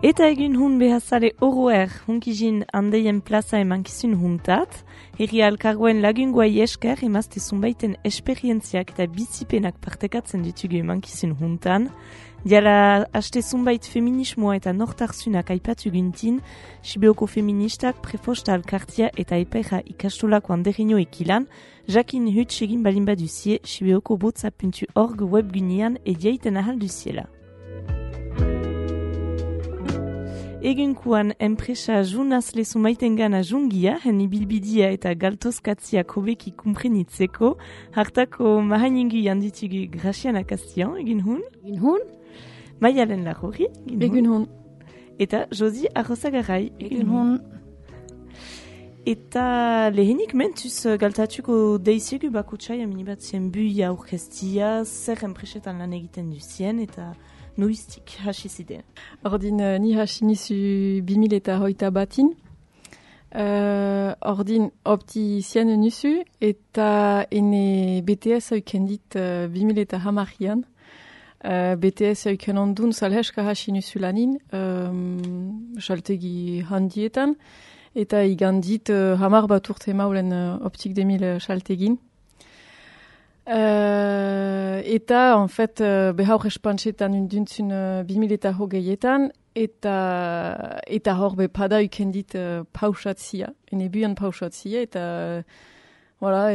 Eta egun hun behazale oroer hunkizin handeien plaza emankizun huntat, herri alkargoen lagunguai esker emazte zunbaiten esperientziak eta bizipenak partekatzen ditugu emankizun huntan. Diala haste zunbait feminismoa eta nortarzunak aipatu guntin, Sibeoko feministak, prefosta alkartia eta epeja ikastolako anderino ekilan, jakin huts egin balin baduzie sibeokobotza.org webgunean ediaiten ahal duziela. Egunkuan enpresa junaz lezu maitengana jungia, heni bilbidia eta galtozkatziak hobeki kumprenitzeko, hartako mahaningu janditugu Graciana Castian, egun hun? Egun hun? Maialen Larrori, egun hun? Eta Josi Arrozagarai, egun hun? Eta lehenik mentuz galtatuko deiziegu bakutxai aminibat zien buia aurkestia, zer enpresetan lan egiten duzien, eta noiztik hasi zide. Ordin ni hasi nizu 2021 batin. Ordin optizien nuzu eta ene BTS haukendit 2010an. BTS hauken ondun salheska hasi nuzu lanin, saltegi handietan, eta igandit hamar bat urte maulen optik 2000 saltegin. Eta, en fait, behaur espantxetan unduntzun 2020etan, eta hor pada ukendit pausatzia, ene buan pausatzia, eta, voilà,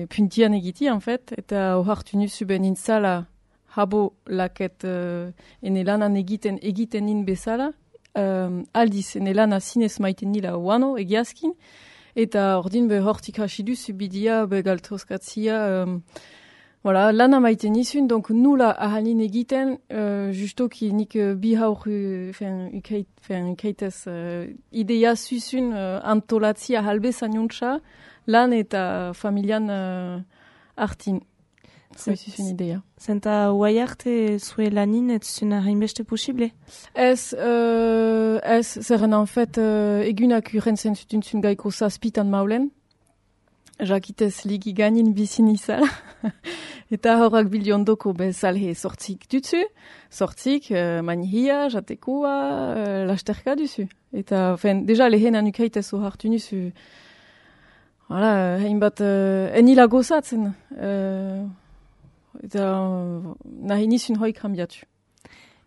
puntian egiti, en fait, eta hohartu nuzu ben intzala habo laket ene lanan egiten nin bezala, aldiz ene lana zinez maiten nila oano egiazkin, eta ordin hortik hasi duzu bidia galtozkatzia, voilà, lana maiten nizun, donc nula ahalin egiten, justoki nik bi haur ukaitez idea zuzun antolatzia halbezan jontxa, lan eta familian artin. Zuzun idea. Zenta huai arte zue lanin ez zuna hainbeste posible? Ez, zerren en fait, egunak urentzen zutuntzun gaiko zazpitan maulen, jakitez ligi ganin bizin izala, eta horrak biliondoko bezalhe sortzik dutzu, sortzik manihia, jatekoa, lasterka duzu. Eta, deja lehen anukaitez hartu nuzu, voilà, hainbat, enila gozatzen, eta nahi nizun hoi krambiatu.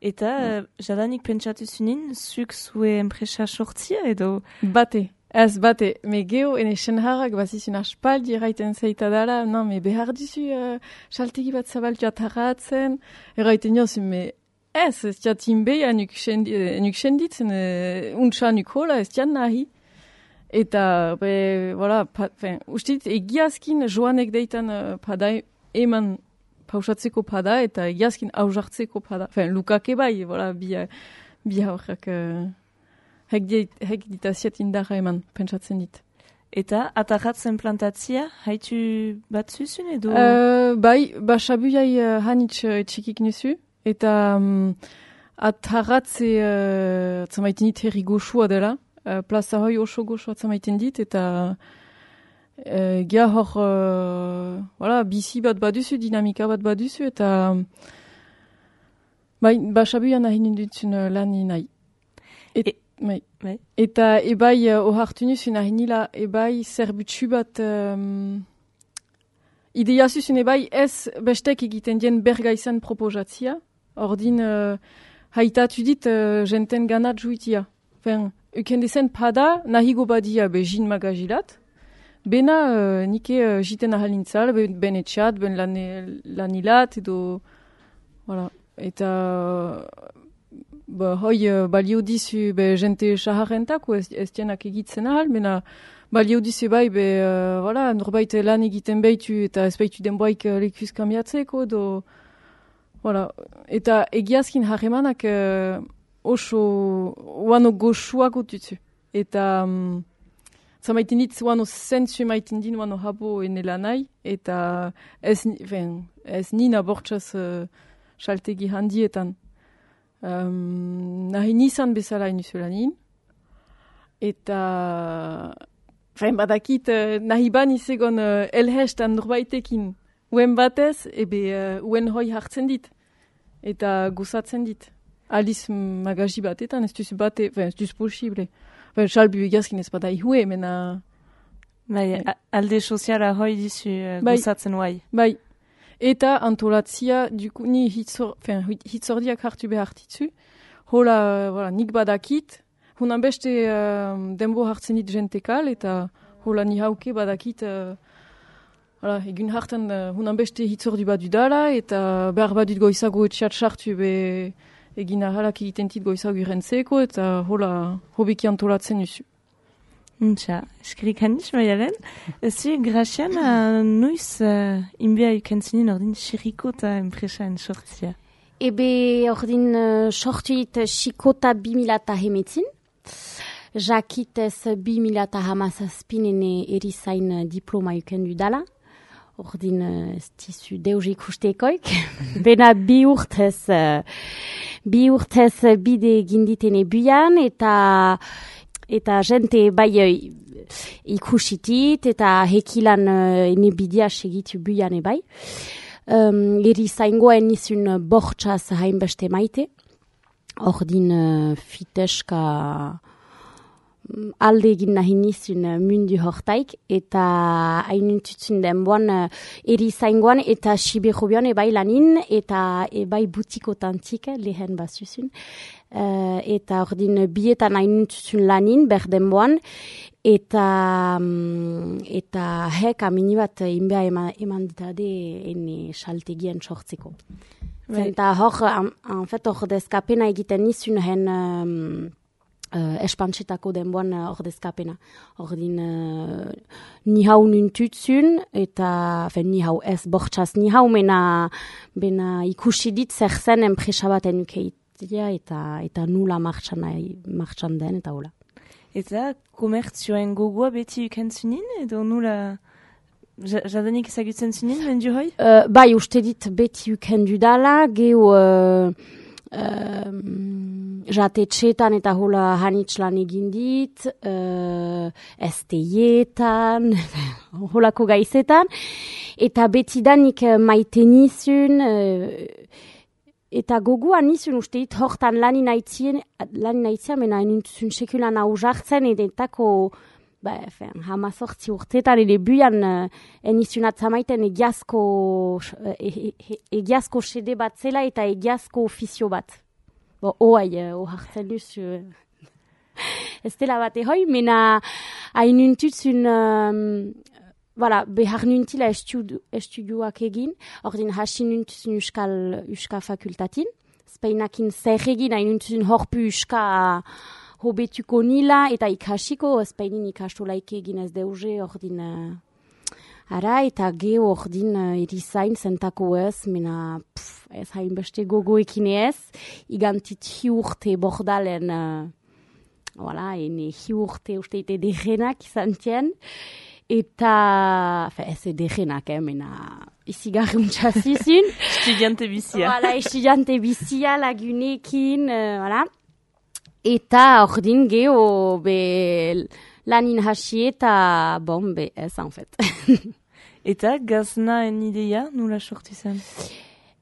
Eta jadanik pentsatu zunin, zuk zue enpresa sortzia edo? Bate, ez bate. Me geho ene senharrak bazizun aspaldi eraiten zeita dala, non, me behar duzu saltegi bat zabaltu atarratzen, eraiten jozun, me ez tiatin beha nuk senditzen, untsa nuk hola, ez tian nahi. Eta, voilà, ustit, egiazkin joanek deitan padai eman pausatzeko pada eta egiazkin hausartzeko pada. Lukake bai, voilà, bi haurrak hek ditaziet indarra eman, pentsatzen dit. Eta atarratzen plantatzia, haitu bat zuzun edo? Bai, sabuiai hanitz etxikik nuzu, eta atarratze atzamaiten dit herri goxua dela, plaza hoi oso goxua atzamaiten dit, eta gia hor, voilà, bizi bat baduzu, dinamika bat baduzu, eta sabuian nahi nindutzen lan nahi. Eta ebai ohartu nuzun nahi nila, ebai zerbutsu bat idea zuzun ebai ez bestek egiten dien bergaizan proposatzia, ordin haitatu dit jenten ganat juitia. Eukendezen pada nahigo badia jin magajilat, bena nike jiten ahalintzal, ben etxat, ben lanilat, edo, voilà. Eta hoi balio dizu jente saharentako ez dienak egitzen ahal, bena balio dizu bai, voilà, norbait lan egiten behitu eta ez behitu denboaik lekuz kambiatzeko, edo, voilà. Eta egiazkin harremanak oso uano goxuako dutu. Eta zamaiten dit uano zentzu maiten din uano habo enela nahi, eta ez nina bortxaz saltegi handietan. Nahi nizan bezala inuzulanin, eta badakit nahi ban izegon elhestan norbaitekin uen batez, uen hoi hartzen dit, eta gozatzen dit. aliz magazi batetan, ez duz bate, ez duz posible. Salbu egazkin ez bada ihue, mena... Bai, alde soziala hoi dizu gozatzen guai. Bai, eta antolatzia, duku, ni hitzordiak hartu behartitzu, hola, nik badakit, hunan beste denbo hartzen dit jentekal, eta hola ni hauke badakit, egun hartan hunan beste hitzordi bat dudala, eta behar badut goizago etxeat sartu egin ahalak egiten dit goizago irentzeko, eta hola hobiki antolatzen duzu. Untxa, eskerik handiz, Maialen. Zu, Gracian, nuiz inbea ikentzinin ordin xirikota enpresaen sortzia? Ebe ordin sortuit xikota 2000 jakitez 2017 erizain diploma ikendu dala. Ordin ez dizu deus ikustekoik. Bena bi urtez bide ginditene buian, eta jente bai ikusitit, eta hekilan enebidia segitu buian bai. Erizaingoen nizun bortxaz hainbeste maite. Ordin fiteska alde egin nahi nizun mundu hortaik, eta hainuntutzen denboan erizaingoan eta Siberobian ebai lanin, eta ebai butikotantik lehen bazuzun. Eta ordin bietan hainuntutzen lanin berdenboan, eta hek amini bat inbea eman ditade ene saltegien sortzeko. Eta hor dezkapena egiten nizun hen espantxetako denboan ordezkapena. Ordin ni hau nuntutzun, eta ni hau ez bortxaz ni hau bena ikusi dit zer zen enpresa baten ukeitia, eta nula martxan den, eta hola. Eta komertzioen gogoa beti ukentzunin, edo nula jadanik ezagutzen zunin, mendu hoi? Bai, uste dit beti ukendu dala, geho jatetxetan eta hola hanitxlan egin dit, esteietan, holako gaizetan, eta betidanik maite nizun, eta gogoan nizun uste dit hortan lanin aitzien, mena enuntzun sekulan hau jartzen, edetako hamazortzi urtetan ere buian enizun atzamaiten egiazko sede bat zela eta egiazko ofizio bat. Hartzen duz, ez dela bat ehoi, mena hainuntutzun, behar nuntila estudioak egin, ordin hasi nuntuzun Euska fakultatin, Spainakin zer egin hainuntutzun horpu Euska hobetuko nila, eta ikasiko, Spainin ikastolaik egin ez deuze, ordin ara, eta geho ordin erizain zentako ez, mena ez hainbeste gogoekin ez, igantit hiurte bordalen, ene hiurte usteite degenak izan tien, eta, ez degenak, mena izigarruntza zizun. Estudiante bizia. Estudiante bizia lagunekin, eta ordin geho lanin hasi eta ez anfet. Eta gaznaen idea nula sortu zen?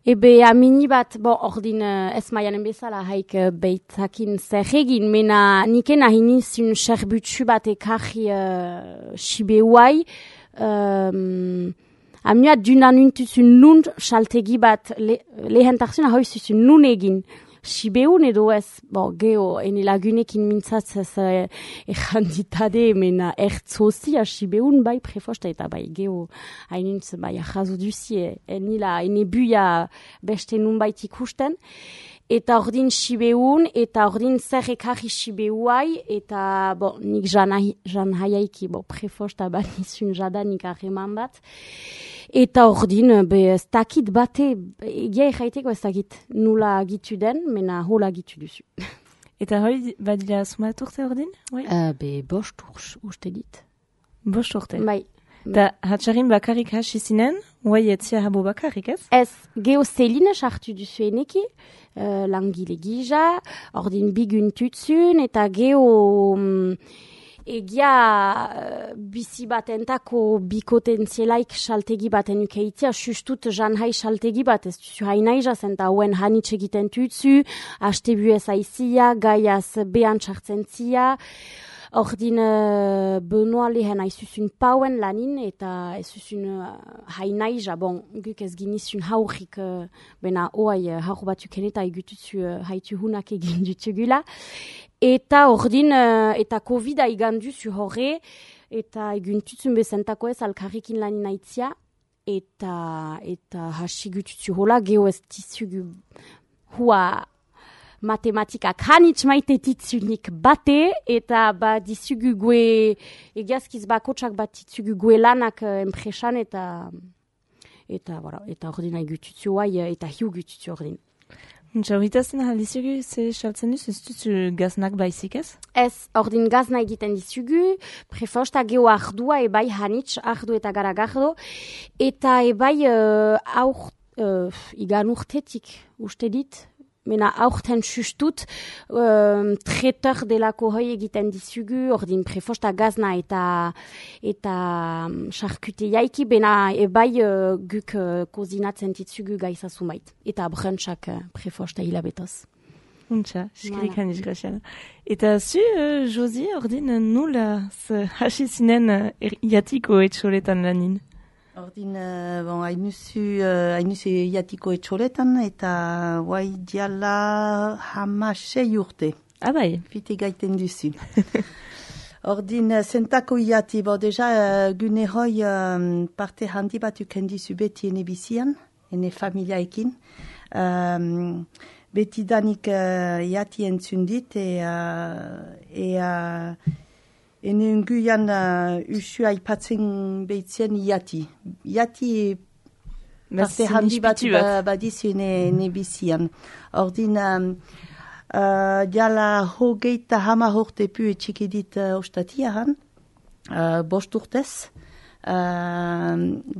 Ebe amini bat, ordin ez maianen bezala haik beitzakin zer egin, mena niken ahinizun serbutsu bat ekarri Sibeuai, amiat dunan untuzun nun saltegi bat lehentartzun ahoizuzun nun egin. Sibeun edo ez, geho, ene lagunekin mintzatzez erranditade, mena ertzozia Sibeun bai prefosta eta bai geho, hainuntz bai ahazo duzie, ene buia beste nun bait ikusten, eta ordin Sibeun, eta ordin zer ekarri Sibeuai, eta nik jan haiaiki, prefosta bat nizun jadanik arreman bat, eta ordin, ez dakit bate, egia erraiteko ez dakit nula gitu den, mena hola gitu duzu. Eta hoi, badila sumat urte ordin? Bost uste dit. Bost urte? Bai. Da hatxarin bakarrik hasi zinen, huai etzia habo bakarrik ez? Ez, geho zeline sartu duzu eneki, langile gija, ordin biguntuzun, eta geho Egia bizi batentako bikotentzielaik saltegi baten ukeitzia, sustut janhai saltegi bat, ez duzu hainaiza zen, eta hauen hanitz egiten tutzu, haste buez aizia, gaiaz behan txartzen zia, ordin Benoa lehen aizuzun pauen lanin, eta ez zuzun hainaiza, bon, guk ez ginizun haurrik, bena oai haur batzuk eta egututzu haitu hunak egin dutugula. Eta ordin, eta COVID-a iganduzu horre, eta eguntuzun bezentako ez alkarrikin lanin aitzia, eta hasigututzu hola, geho ez tizugu hua matematikak hanitz maitetitzunik bate, eta dizugu gue, egiazkiz bakotsak bat tizugu gue lanak enpresan, eta ordin egututzu guai, eta hiu gututzu ordin. Horitazen aldizugu, ze saltzen duz, ez duzu gaznak baizik ez? Ez, ordin gazna egiten dizugu, prefosta geho ardua ebai hanitz, ardu eta garagardo, eta ebai igan urtetik, uste dit, mena aurten sustut, tretor delako hoi egiten dizugu, ordin prefosta gazna eta charkute jaiki, bena ebai guk kozinatzen ditzugu gaizazumait. Eta brunchak prefosta hilabetoz. Untxa, eskerik handiz graziana. Eta zu, Josi, ordin nula hasi zinen jatiko etxoletan lanin? Ordin, hainuzu jatiko etxoletan, eta guai diala 16 urte. Bai. Fite gaiten duzu. Ordin, zentako jati, deja gune hoi parte handi bat ukendizu beti ene bizian, ene familiaekin. Beti danik jati entzundit, ene unguian usu aipatzen behitzen jati. Jati parte handi bat badizu ene bizian. Ordin, jala hogeita hama horte pu etxikidit ostatiahan, 5 urtez.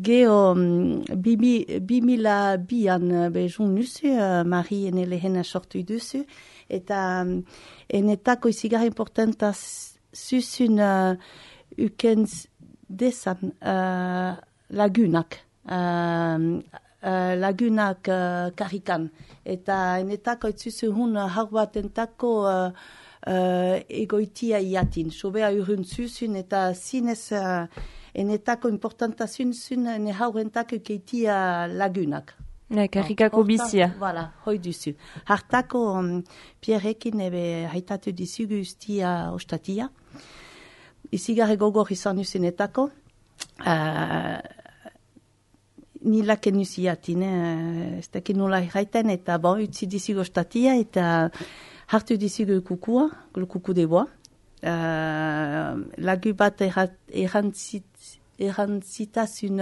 Geho 2002an bezun nuzu, Mari ene lehena sortu duzu, eta enetako izigar importanta zuzun ukens desan lagunak. Lagunak karikan. Eta enetako itzuzu hun haur bat entako egoitia iatin. Sobea urun zuzun eta zinez enetako importanta zuzun ene haur entako keitia lagunak. Karikako bizia. Voilà, hoi duzu. Hartako Pierrekin ebe haitatu dizugu ustia ostatia. Izigarre gogor izan usenetako. Nilaken usiatin, ez dakin nola irraiten, eta utzi dizugu ostatia, eta hartu dizugu kukua, kuku de boa. Lagu bat erantzitazun,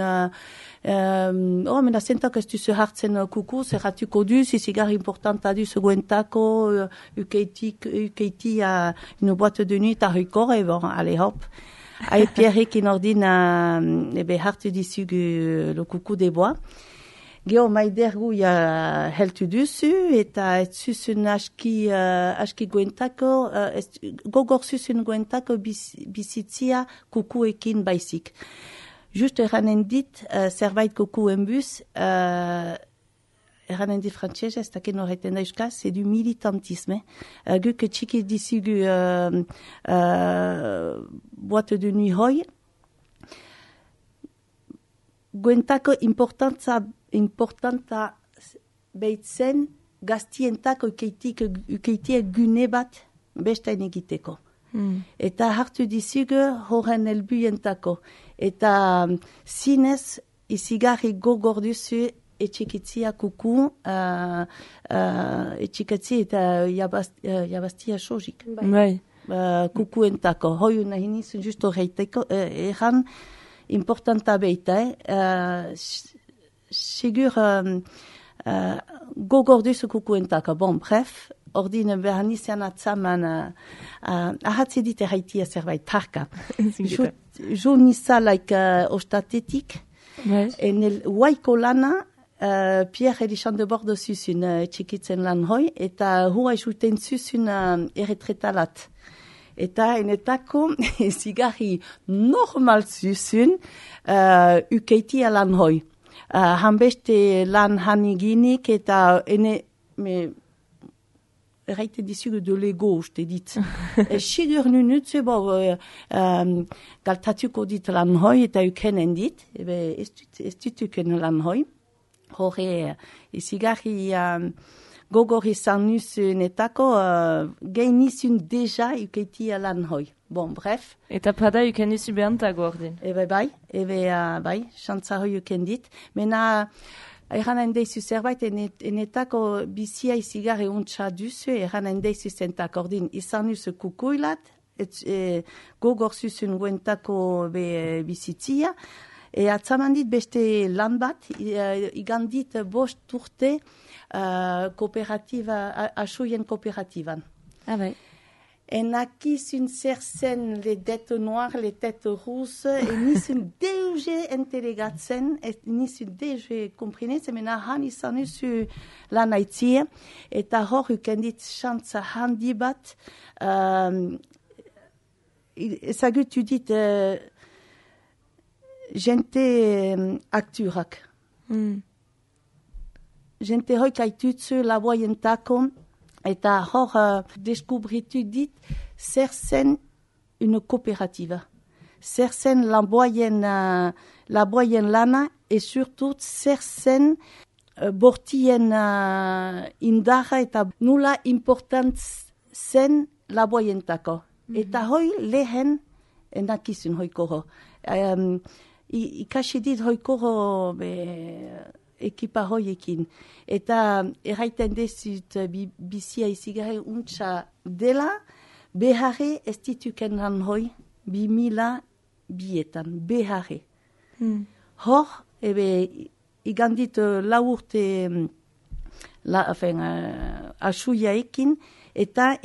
mena zentak ez duzu hartzen kuku, zerratuko duz, izigar importanta duz guentako, ukeiti une boîte de nuit a hukor, allez hop. Ae Pierrekin ordin hartu dizugu le kuku de boa. Geho maidergu heltu duzu, eta ez zuzun aski guentako, gogor zuzun guentako bizitzia kukuekin baizik. Just eranen dit, zerbait kukuen bus, eranen dit frantxez, ez daken horreten da euskaz, c'est du militantisme. Guk txiki dizugu boîte de nuit hoi. Guentako importanta behitzen gaztientako ukeitia gune bat bestain egiteko. Eta hartu dizugu horren helbuentako. Eta zinez izigarri gogor duzu etxikitzia kuku, etxikatzi eta jabaztia sojik. Bai. Kukuentako. Hoi nahi nizun justo reiteko, eran importanta beita, sigur gogor duzu kukuentako. Bon, bref, ordine behar nizian atzaman ahatze dit erraitia zerbait tarka. Jo nizalaik ostatetik, en el waiko lana, Pierre Elishan de Bordo zuzun txikitzen lan hoi, eta hua esuten zuzun erretretalat. Eta enetako zigarri normal zuzun ukeitia lan hoi. Hanbeste lan haniginik eta erraite dizugu de lego, uste dit. Sigur nunutze, galtatuko dit lan hoi eta ukenen dit, ez dut uken lan hoi. Hore, zigarri gogor izan nuzunetako, gainizun deja ukeitia lan hoi. Bon, bref. Eta pada uken duzu behantago ordin. Bai, xantza hoi uken dit. Mena, eran handeizu zerbait, enetako bizia izigarri untsa duzu, eran handeizu zentak ordin izan nuzu kukuilat, gogor zuzun guentako bizitzia, atzaman dit beste lan bat, igandit bost urte kooperatiba, asuien kooperatiban. Ah, bai. Enakizun zer zen les dettes noires, les têtes rousses, nizun deuge entelegatzen, nizun deuge komprinetzen, mena han izan usu lan aitzia, eta hor ukendit xantza handi bat, ezagutu dit jente akturak. Jente hoik aitutzu laboientako, eta hor deskubritu dit zer zen une coopérative. Zer zen laboien lana, et surtout zer zen bortien indarra eta nula important zen laboientako. Eta hoi lehen enakizun hoikoro. Ikasi dit hoikoro ekipa hoiekin. Eta erraiten dezut bizia izigarri untsa dela, beharre ez dituken lan hoi, 2002etan, beharre. Hor, igandit laurte asuiaekin, eta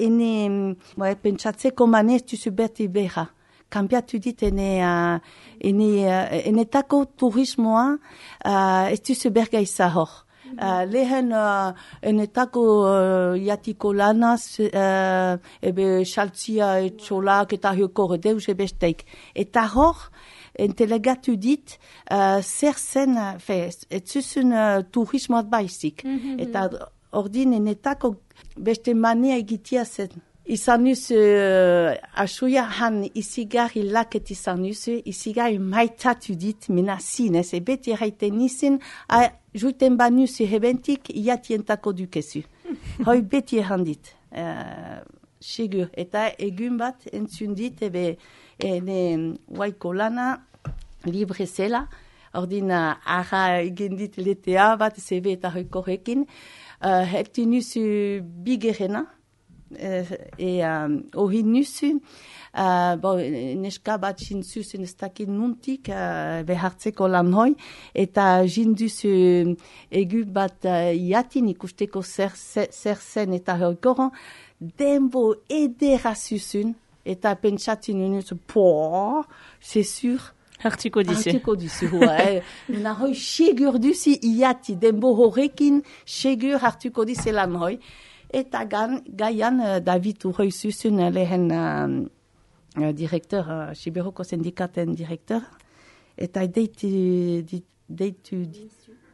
pentsatzeko manez duzu berti beha. Kambiatu dit enetako turismoa ez duzu bergaiza hor. Lehen enetako jatiko lanaz, xaltzia etxolak eta hiokor deus ebesteik. Eta hor, entelegatu dit, zer zen, ez zuzun turismoat baizik. Eta ordin enetako beste mania egitia zen. Izan nuzu asuia han izigarri laket izan nuzu, izigarri maitatu dit, mena zinez, beti erraiten nizin, juiten ba nuzu hebentik, iatientako dukezu. Hoi beti errandit, sigur. Eta egun bat entzun dit, ene waiko lana, libre zela, ordina arra egin dit letea bat, zebe eta hoikorekin, hektu nuzu bigerena, hori nuzu, neska bat jintzuzun ez dakit nuntik behartzeko lan hoi, eta jinduzu egu bat iatin ikusteko zer zen eta hoikoron, denbo edera zuzun, eta pentsatzen nuzu, c'est sûr, hartuko dizu. Nena hoi segur duzi iati, denbo horrekin segur hartuko dizu lan hoi. Eta gaian David Uroi zuzun lehen direktor, Siberoko sindikaten direktor, eta deitu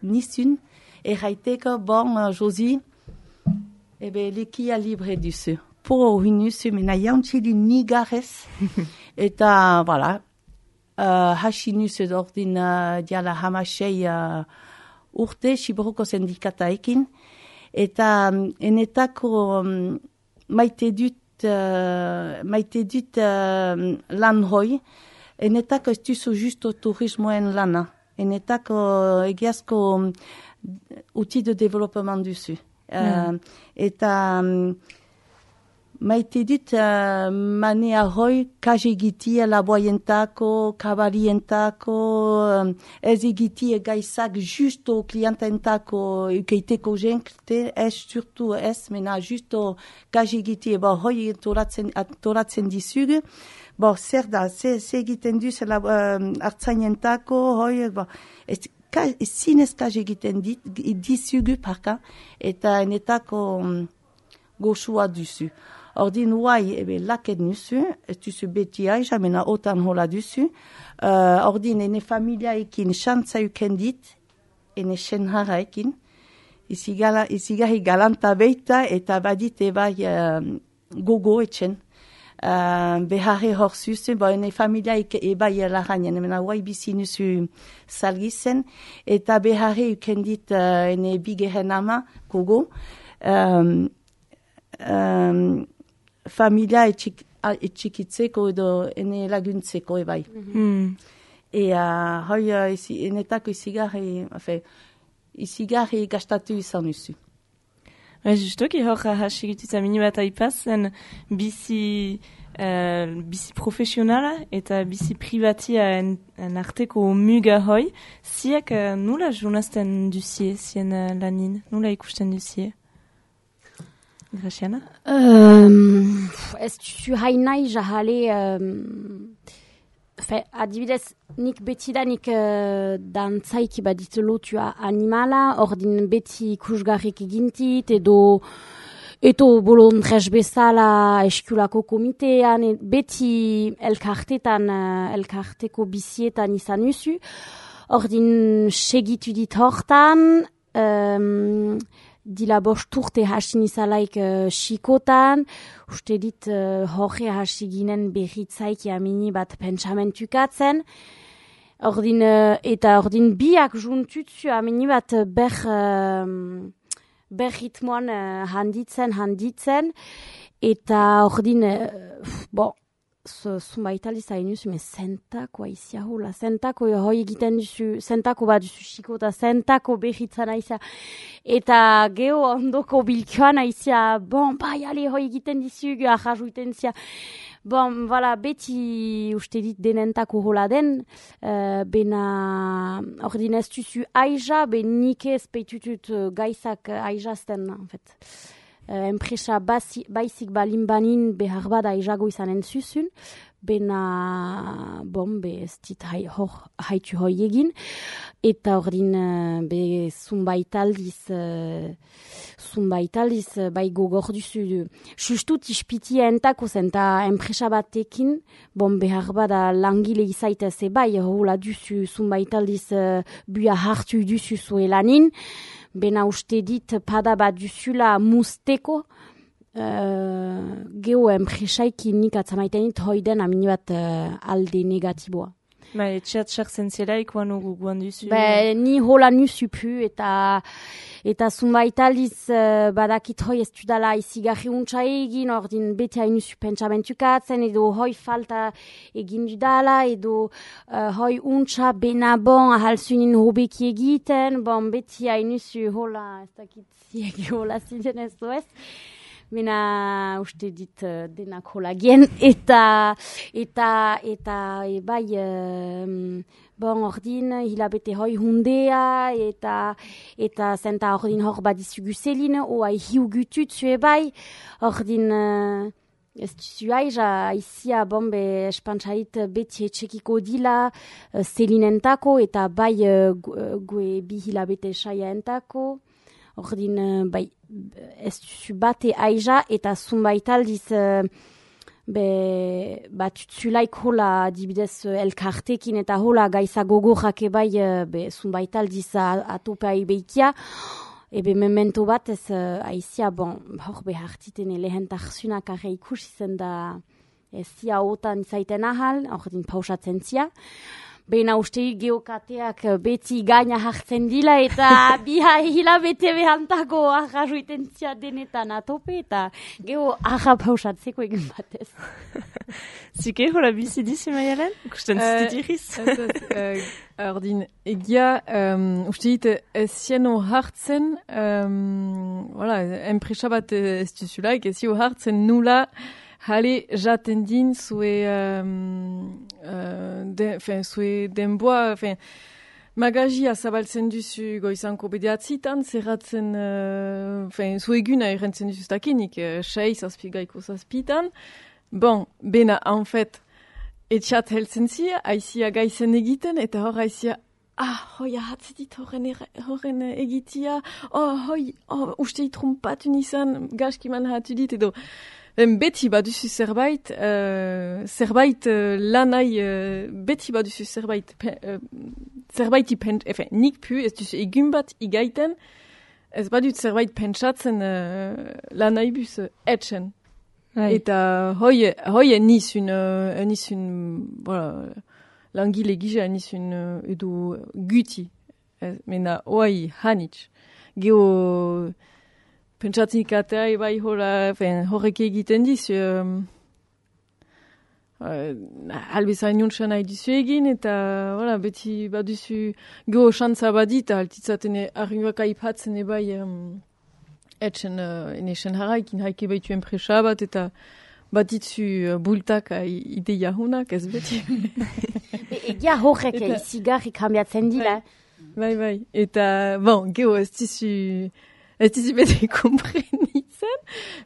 nizun, erraiteko, Josi, likia libre duzu. Po hori nuzu, mena jantxili nigarez, eta, voilà, hasi nuzu ordin diala hamasei urte, Siberoko sindikataekin, eta enetako maite dut lan hoi, enetako ez duzu justo turismoen lana, enetako egiazko outil de développement duzu. Eta maite dut manea hoi kaje egitia laboientako, kabarientako, ez egitia gaizak justo kliententako ukeiteko jenkte, ez surtu ez, mena justo kaje egitia, hoi toratzen dizugu, zer da, ze egiten duz hartzainentako, hoi, zinez kaje egiten dizugu parka, eta enetako goxua duzu. Ordin uai, laket nusu, ez duzu beti aiza, mena otan hola duzu. Ordin, ene familiaekin xantza ukendit, ene senharaekin, izigarri galanta beita, eta badit ebai gogo etxen. Beharre hor zuzen, ene familiaik ebai larainen, mena uai bizi nusu salgizen, eta beharre ukendit ene bigeren ama, gogo, familia etxikitzeko edo ene laguntzeko ebai. Hoi enetako izigarri gastatu izan duzu. Justoki hor hasigitutza mini bat aipazen bizi profesionala eta bizi privatia en arteko muga hoi. Ziak nula journazten duzie zien lanin? Nula ikusten duzie? Graciana? Ez duzu hainai jahale... adibidez, nik betidanik dantzaiki badit lotua animala, ordin beti ikusgarrik egintit, edo bolondrez bezala eskulako komitean, beti elkarteko bizietan izan usu. Ordin segitu dit hortan, dila bost urte hasin izalaik xikotan, uste dit horre hasi ginen berritzaik jamini bat pentsamentukatzen. Ordin biak juntutzu amini bat ritmoan handitzen, eta ordin, zumbaitali zainuz, zentako aizia hula, zentako hoi egiten duzu, zentako bat duzu xiko, eta zentako behitzan aizia, eta geho ondoko bilkoan aizia, hoi egiten dizu, ahajuiten zia, beti uste dit denentako hola den, bena, ordin ez duzu aiza, nik ez peitutut gaizak aizazten, en fait. Enpresa baizik balin banin behar bada aizago izanen zuzun, bena ez dit haitu hoi egin, eta ordin zumbaitaldiz bai gogor duzu. Justut ispitia entako zen, eta enpresa batekin, behar bada langile izaitez bai, hola duzu zumbaitaldiz buia hartu duzu zuelanin, bena uste dit pada bat duzula musteko geho enpresaikin nik atzamaitenit hoiden amini bat alde negatiboa. Etxeat sartzen zelaik guan duzu? Ni hola nusu pu eta zumbaitaldiz badakit hoi ez dudala izigarri untsa egin, ordin beti hain nusu pentsamentukatzen, edo hoi falta egin dudala, edo hoi untsa bena ahalzunin hobeki egiten, beti hain nusu hola, ez dakit ziegi hola ziren ez doez. Mena uste dit denak hola gen, eta bai, ordin hilabete hoi hundea, eta zenta ordin hor badizugu zelin, oa hiu gututzu bai, ordin ez duzu aiza, aizia espantzait beti etxekiko dila zelinentako, eta bai gue bi hilabete saia entako, ordin bai, ez duzu bate aiza, eta zumbaitaldiz batutzulaik hola dibidez elkartekin, eta hola gaiza gogorrak bai zumbaitaldiz atopai behikia, memento bat ez aizia, hor behartiten lehentarzunak arre ikusi zen da ez zia otan izaiten ahal, ordin pausatzen zia. Bena uste geokateak beti gaina hartzen dila, eta biha hilabete behantako ahajuiten zia denetan atope, eta geho pausatzeko egin batez. Zike hola bizi dizi maialen? Kusten zitiriz? Ordin, egia, uste dit ez zieno hartzen, enpresa bat ez duzulaik, ez zio hartzen nula, hale jaten din zue denboa, magazia zabaltzen duzu goizanko bederatzitan, zerratzen, zue eguna errentzen duzu stakinik, 6 gaiko zazpitan. Bena, en fait, etxat heltzen zia, aizia gaizen egiten, eta hor aizia, hoi ahatzedit horren egitia, uste itrumpatu nizan, gaskiman hatu dit, edo, beti baduzu zerbait lanai, beti baduzu zerbait nik pu, ez duzu egun bat igaiten, ez badut zerbait pentsatzen lanai bus etxen. Eta hoi nizun, voilà, langile gisa nizun edo guti. Mena oai hanitz. Geo pentsatzen ikatea bai horrek egiten dizu. Albezain jontxan nahi duzu egin, eta voilà, beti baduzu geo xantza badit, altitzaten arringoak aipatzen bai etxen enesen haraikin haike baitu enpresa bat, eta batitzu bultak ideia hunak, ez beti. Egia horrek izigarrik hambiatzen dira. Bai. Eta, bon, geo ez dizu bete komprenitzen,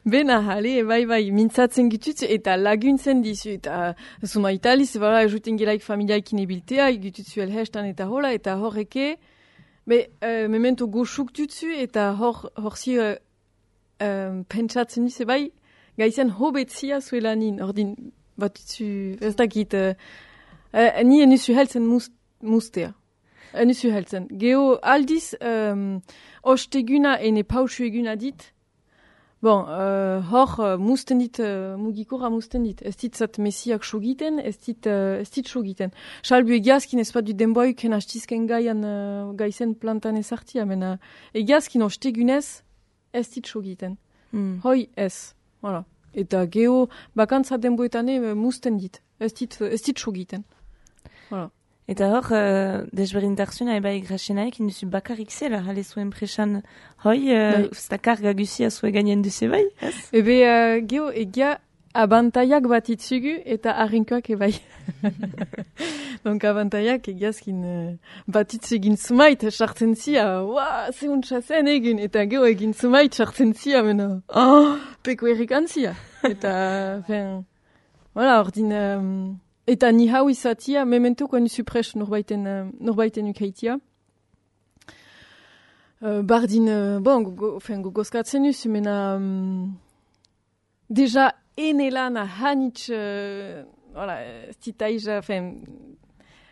bena jale, bai, mintzatzen gitutzu, eta laguntzen dizu, eta zuma italiz, bera, juten gelaik familiaikin ebiltea, gitutzu elhestan eta hola, eta horreke, memento goxuk dutzu, eta hor zi pentsatzen dizu, bai, gaizen hobetzia zuelanin, ordin, batutzu, ez dakit, ni enuzu heltzen mustea. Enuzu heltzen. Geo aldiz, osteguna ene pausu eguna dit, bon, hor musten dit, mugikora musten dit. Ez dit zat mesiak sogiten, ez dit sogiten. Salbu egiazkin ez bat du denboiken hastizken gaizen plantan ezartia, mena egiazkin ostegunez ez dit sogiten. Hoi ez, voilà. Eta geo bakantza denboetane musten dit, ez dit sogiten. Voilà. Eta hor, desberintarzuna eba egrasenaik induzu bakarrik zela, jale zuen presan, hoi, usta karga guzia zue gainen duze bai, ez? Ebe, geo, egia abantaiak bat itzugu eta arrinkoak ebai. Donc abantaiak egiazkin bat itzugin zumait, sartzen zia, zeuntza zen egin, eta geo egin zumait sartzen zia, mena, peko errikan zia. Eta, voilà, ordin... Eta ni hau izatia, mementoko enuzu pres norbaiten ukaitia. Bardin, bon, gogozkatzen nuzu, mena... Deja enelana hanitz, voilà, stitaija,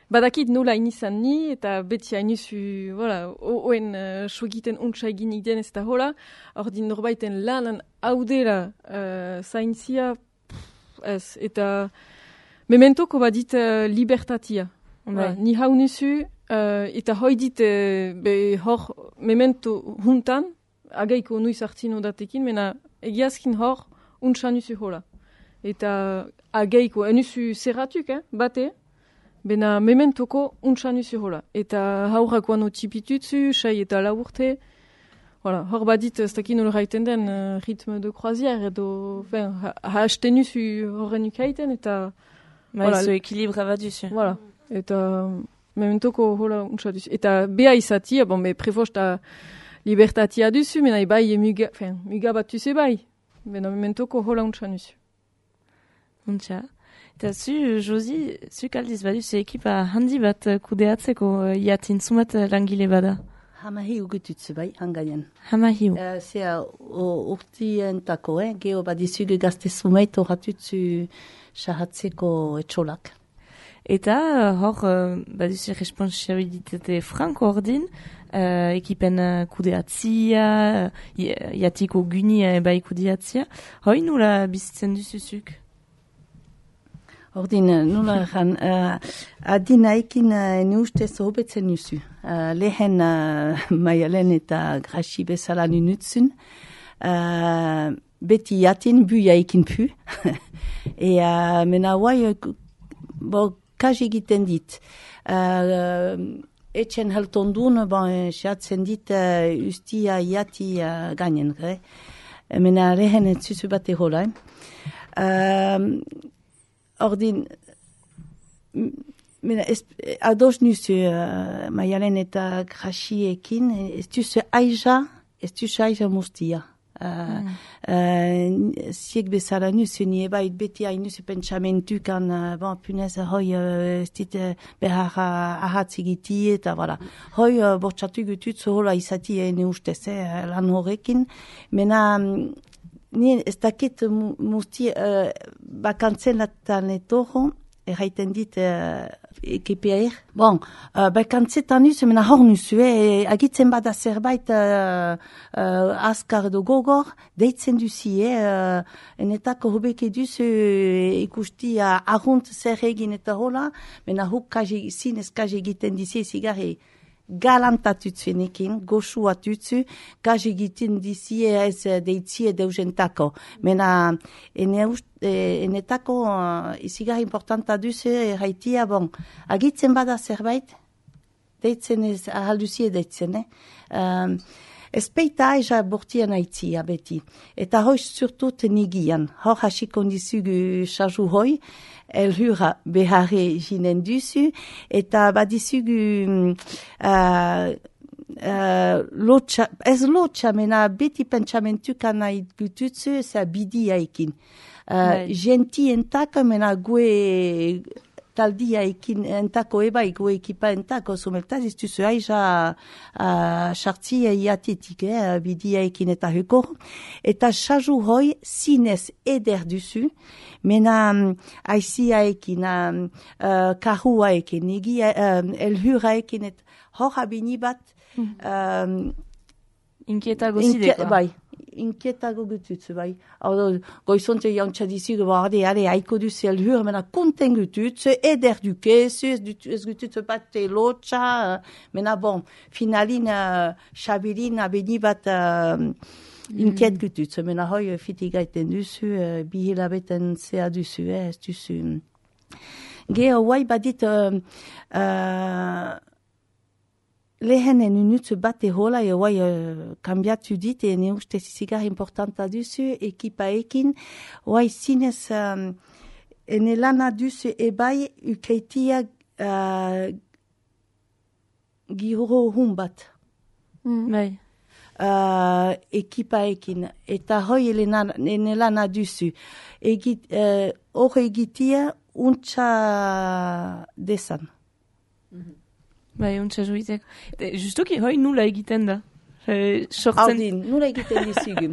badakit nola inizan ni, eta beti hainuzu, voilà, oen sogiten untsa eginik den ez da hola, ordin norbaiten lanan haudela zaintzia, ez, eta... Mementoko badit libertatia. Ni hau nuzu, eta hoi dit hor memento huntan, agaiko nuiz hartzino datekin, mena egiazkin hor untsa nuzu hola. Eta agaiko, nuzu zerratuk, bate, bena mementoko untsa nuzu hola. Eta haurakoan otipitutzu, sai eta laurte, voilà, hor badit ez dakin olraiten den ritme de croisière, edo haste nuzu horren ukaiten, eta... Voilà, zo ekilibra bat duzu. Voilà. Eta mementoko hola untsa duzu. Eta beha izatia, bon, prefosta libertatia duzu, mena bai muga bat duzu bai. Bena mementoko hola untsa duzu. Untsa. Eta zu, Josi, zuk aldiz baduzu ekipa handi bat kudeatzeko iatin zumat langile bada? Hamahiu gututzu bai, hangaien. Hamahiu. Zea urtientako, geo badizugu gazte zumeit horatutzu sahatzeko etxolak. Eta hor, baduzu responsabilitate franko ordin, ekipen kudeatzia, iatiko gunia eba ikudeatzia. Hoi nula bizitzen duzuzuk? Ordin, nula erran, adinaikin ne ustez hobetzen duzu. Lehen Maialen eta Graxi bezala nunutzun. Beti jatin buiaikin pu. Mena guai, kaj egiten dit. Etxen heltondun, xatzen dit ustia jati gainen. Mena lehen etzuzu bat ehola. Ordin, ados nuzu Maialen eta Graxiekin, ez duzu aiza mustia. Ziek bezala nuzu, ni ebait beti hainuzu pentsamentukan, punez, hoi, ez dit behar ahatzigiti, eta voilà. Hoi, bortxatu gutut, zohola izati ene ustez, lan horrekin, mena Ni ez dakit musti bakantzenatan etorro, erraiten dit ekipeair. Bon, bakantzetan nuz, mena hor nuzu, agitzen bada zerbait azkar edo gogor, deitzen duzi, enetako hobeke duzu ikusti ahunt zer egin eta hola, mena huk zinez kaje egiten dizi zigarri galantatutzuenekin, goxuatutzu, kaje egiten dizi ez deitzie deuzentako. Mena, enetako izigarri importanta duzu erraitia, bon, agitzen bada zerbait, deitzen ez, ahalduzie deitzen, ez peita aiza bortien aitzia beti. Eta hoiz surtut nigian, hor hasiko dizugu xazu hoi, elhura beharre jinen duzu, eta badizugu lotxa, ez lotxa, mena beti pentsamentuka nahi gututzu, eza bidiaikin. Genti entako, mena gue taldia ekin entako ebai, gue ekipa entako, someltaz, ez duzu aiza sartzia iatetik, bidia ekin eta hukor. Eta xazu hoi zinez eder duzu, mena aizia ekin, karua ekin, elhura ekin, hor abini bat, inkietago zideko. Bai, inkietago gututzu, bai. Goizonte jantza dizigu, are, haiko duzu elhur, mena konten gututzu, eder dukezu, ez gututzu bat lotxa, mena bon, finalin, xabilin, abeni bat inkiet gututzu, mena hoi fitigaiten duzu, bihilabeten zea duzu, ez duzu. Geho, guai badit, lehenen unutzu bat ehola, guai kambiatu dit, ene uste zigar importanta duzu, ekipa ekin, guai zinez, ene lana duzu ebai ukeitia giro hun bat. Bai. Ekipa ekin, eta hoi ene lana duzu. Hor egitia untxa desan. Bai, untxa joitek. Justoki, hoi nula egiten da. Haudin, nula egiten dizugu.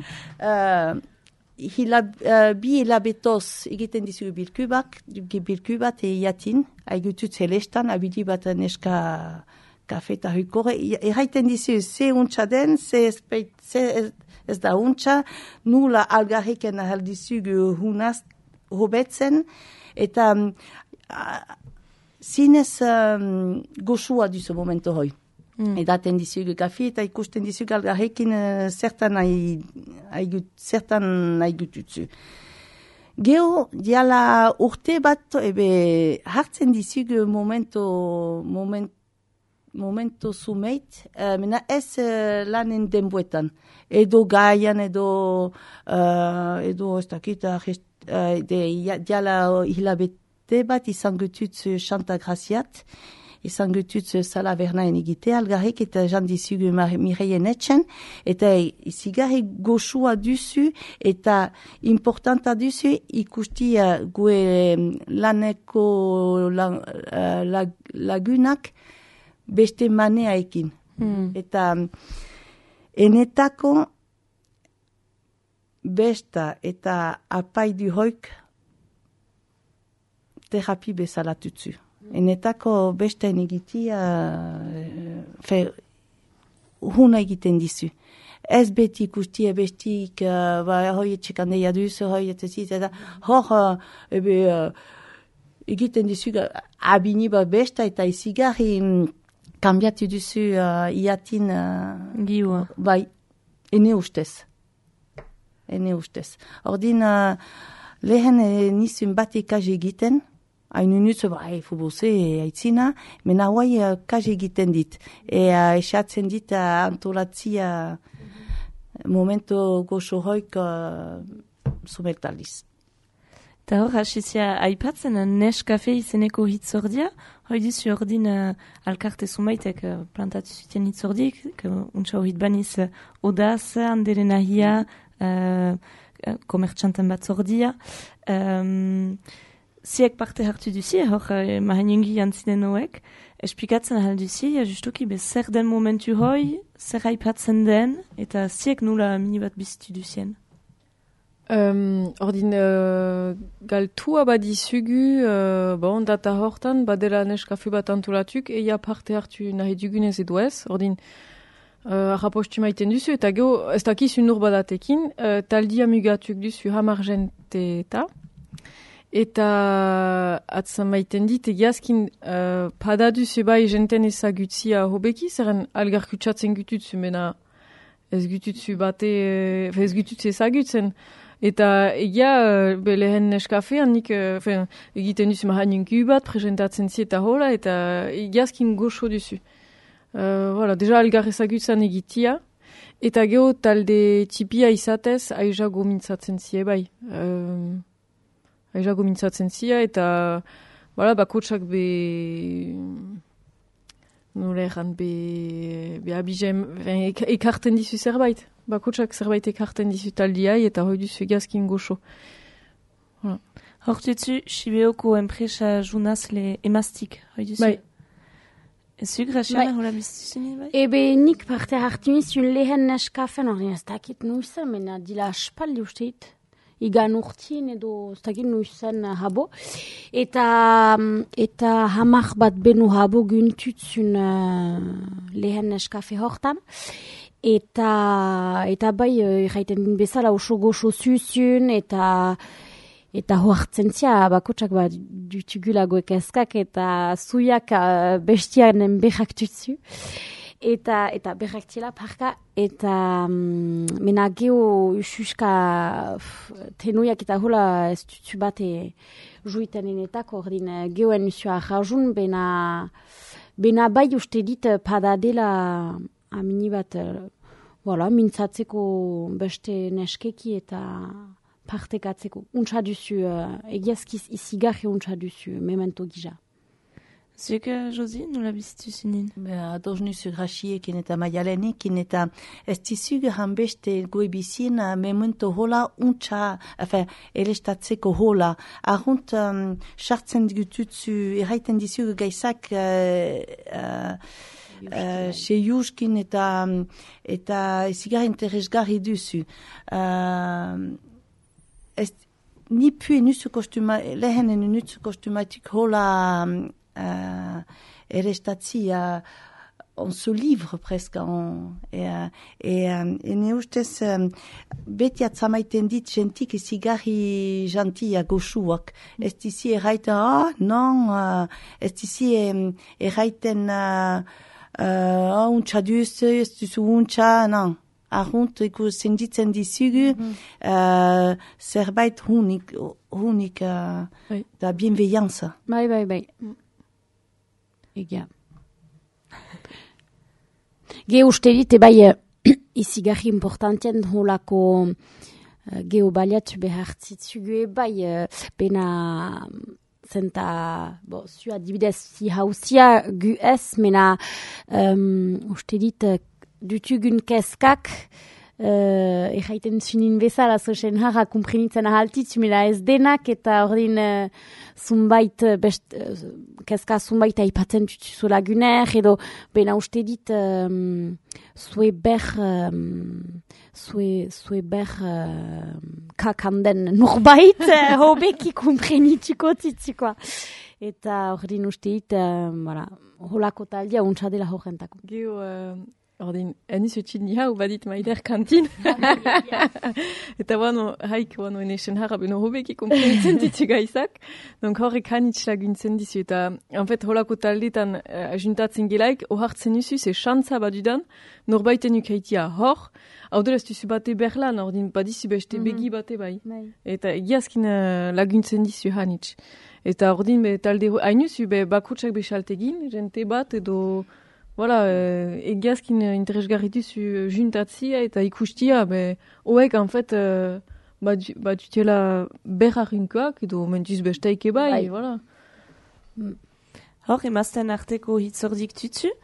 Bi hilabetoz egiten dizugu bilkubat eiatin, haigutut zelestan, abidi bat neska kafeta hukore. Erraiten dizugu, ze untxa den, ze ez da untxa, nula algarriken ahal dizugu hunaz hobetzen, eta zinez goxua duzu momento hoi. Edaten dizugu kafi eta ikusten dizugu algarrekin zertan haigututzu. Geo, diala urte bat, hartzen dizugu momento sumeit, mena ez lanen denboetan. Edo gaian, edo ez dakita, diala hilabet bat izan gututz Chanta Graziat, izan gututz Sala Vernaen egite, algarrik eta jan dizugu Mireien etxen, eta izigarri goxua duzu, eta importanta duzu ikusti gue laneko lagunak beste manea ekin. Eta enetako besta eta apaidu hoik terapi bezala tutzu. Enetako besta egitia huna egiten dizu. Ez beti ikustia bestik, hoi etxekandeia duzu, hoi etxezit, eta hor egiten dizu abini bat besta eta izigarri kambiatu duzu iatin giua. Bai, ene ustez. Ordin, lehen nizun bat ikaz egiten, hainu nutzu, fuboze, aitzina, mena hauai kaj egiten dit. Esatzen dit antolatzia momento goxo hoik sumeltaliz. Eta hor, hasizia aipatzen Neskafe izeneko hitzordia, hoi dizu ordin alkarte zumaitek plantatu zuten hitzordiek, untsa horit baniz odaz, handeren ahia, komertxanten bat zordia. Ziek parte hartu duzi, hor mahanengi jantzinen hoek, esplikatzen ahal duzi, justuki zer den momentu hoi, zer aipatzen den, eta ziek nula mini bat bizitu duzien. Ordin galtua badizugu, data hortan, badela neskafe bat antolatuk, eia parte hartu nahi dugunez edo ez, ordin rapostu maiten duzu, eta geho, ez dakizu nur badatekin, taldia mugatuk duzu hamarjente eta atzan maiten dit, egiazkin pada duzu bai jenten ezagutzia hobeki, zeren algar kutsatzen gututzu, mena ez gututzu bate, ez gututzu ezagutzen. Eta egia, lehen neskafean nik egiten duzu mahaninku bat, presentatzen zi eta hola, eta egiazkin goxo duzu. Deja algar ezagutzen egitia, eta geho talde tipia izatez, aizago mintzatzen zi bai. Aizago mintzatzen zi, eta bakotsak nola erran, abizem, ekarten dizu zerbait. Bakotsak zerbait ekarten dizu taldiai eta hoi duzu egazkin goxo. Hor duzu, Sibeoko enpresa junazle emaztik, hoi duzu? Bai. Ezu, Graciana, hola biztuzen bai? Ebe nik parte hartu nizun lehen neskafen, hori ez dakit nuizan, mena dila aspaldi usteit. Igan urtien edo ez dakit nuizan habo. Eta hamar bat benu habo güntutzun lehen neskafe hortan. Eta bai, erraiten din bezala oso goxo zuzun, eta hoartzen zia, bakotsak dutugulagoek eskak, eta zuiak bestianen berrak tutzu. Eta berrak tila parka, eta mena geho ususka tenuiak eta hola ez tutzu bate juitenenetak, ordin gehoen usua rajun, bena bai uste dit padadela amini bat, mintzatzeko beste neskeki eta partekatzeko. Untsa duzu, egiazkiz izigarri untsa duzu, memento gija. Zuek, Josi, nola bizituzunin? Ados nuzu Graciekin eta Maialenekin, eta ez dizug hanbeste goibizien memento hola untsa, erestatzeko hola. Arrunt, sartzen digututzu, erraiten dizug gaizak seiuskin eta ezigar interesgarri duzu. Ni pue nuzu lehenen nuzu kostumatik hola erestatzia on se livre presque ne ustez beti atzamaiten dit gentik ezigarri jantia goxuak. Ez dizi erraiten, non, ez dizi erraiten untsa duzu, ez duzu untsa, non. Arrunt, senditzen dizugu, zerbait hunik da bienveillanza. Bai. Egia. Ge uste dit, bai, izigarri importanten holako geobaliatu behartzitzugu, bai, bena zenta, zu adibidez, si hausia gu ez, mena uste dit, dutugun keskak, erraiten zunin bezala, zozen harra kumprenitzen ahaltitzu, mela ez denak, eta ordin zunbait, keska zunbait aipatzen tutuzu laguner, edo bena uste dit zue ber kakanden norbait, hobeki kumprenituko titzukoa. Eta ordin uste dit, holako taldia untsa dela horrentako. Ordin, eniz utxin hau badit maider kantin. Eta haik enesen harra beno hobeki komprenitzen ditu gaizak. Donc horrek hanitz laguntzen dizu. Eta, en fait, holako taldetan ajuntatzen gelaik, ohartzen duzu, ze xantza badudan, norbaiten ukaitia hor, hau dela ez duzu bate berlan, ordin, badizu beste begi bate bai. Eta egiazkin laguntzen dizu hanitz. Eta ordin, talde hainuzu, bakutsak besaltegin, jente bat edo... egiazkin interesgarri duzu juntatzia eta ikustia, hoek, en fait, badutela berrarinkoak, edo mentuz besteike bai, voilà. Hor, emazten arteko hitzordik tutu,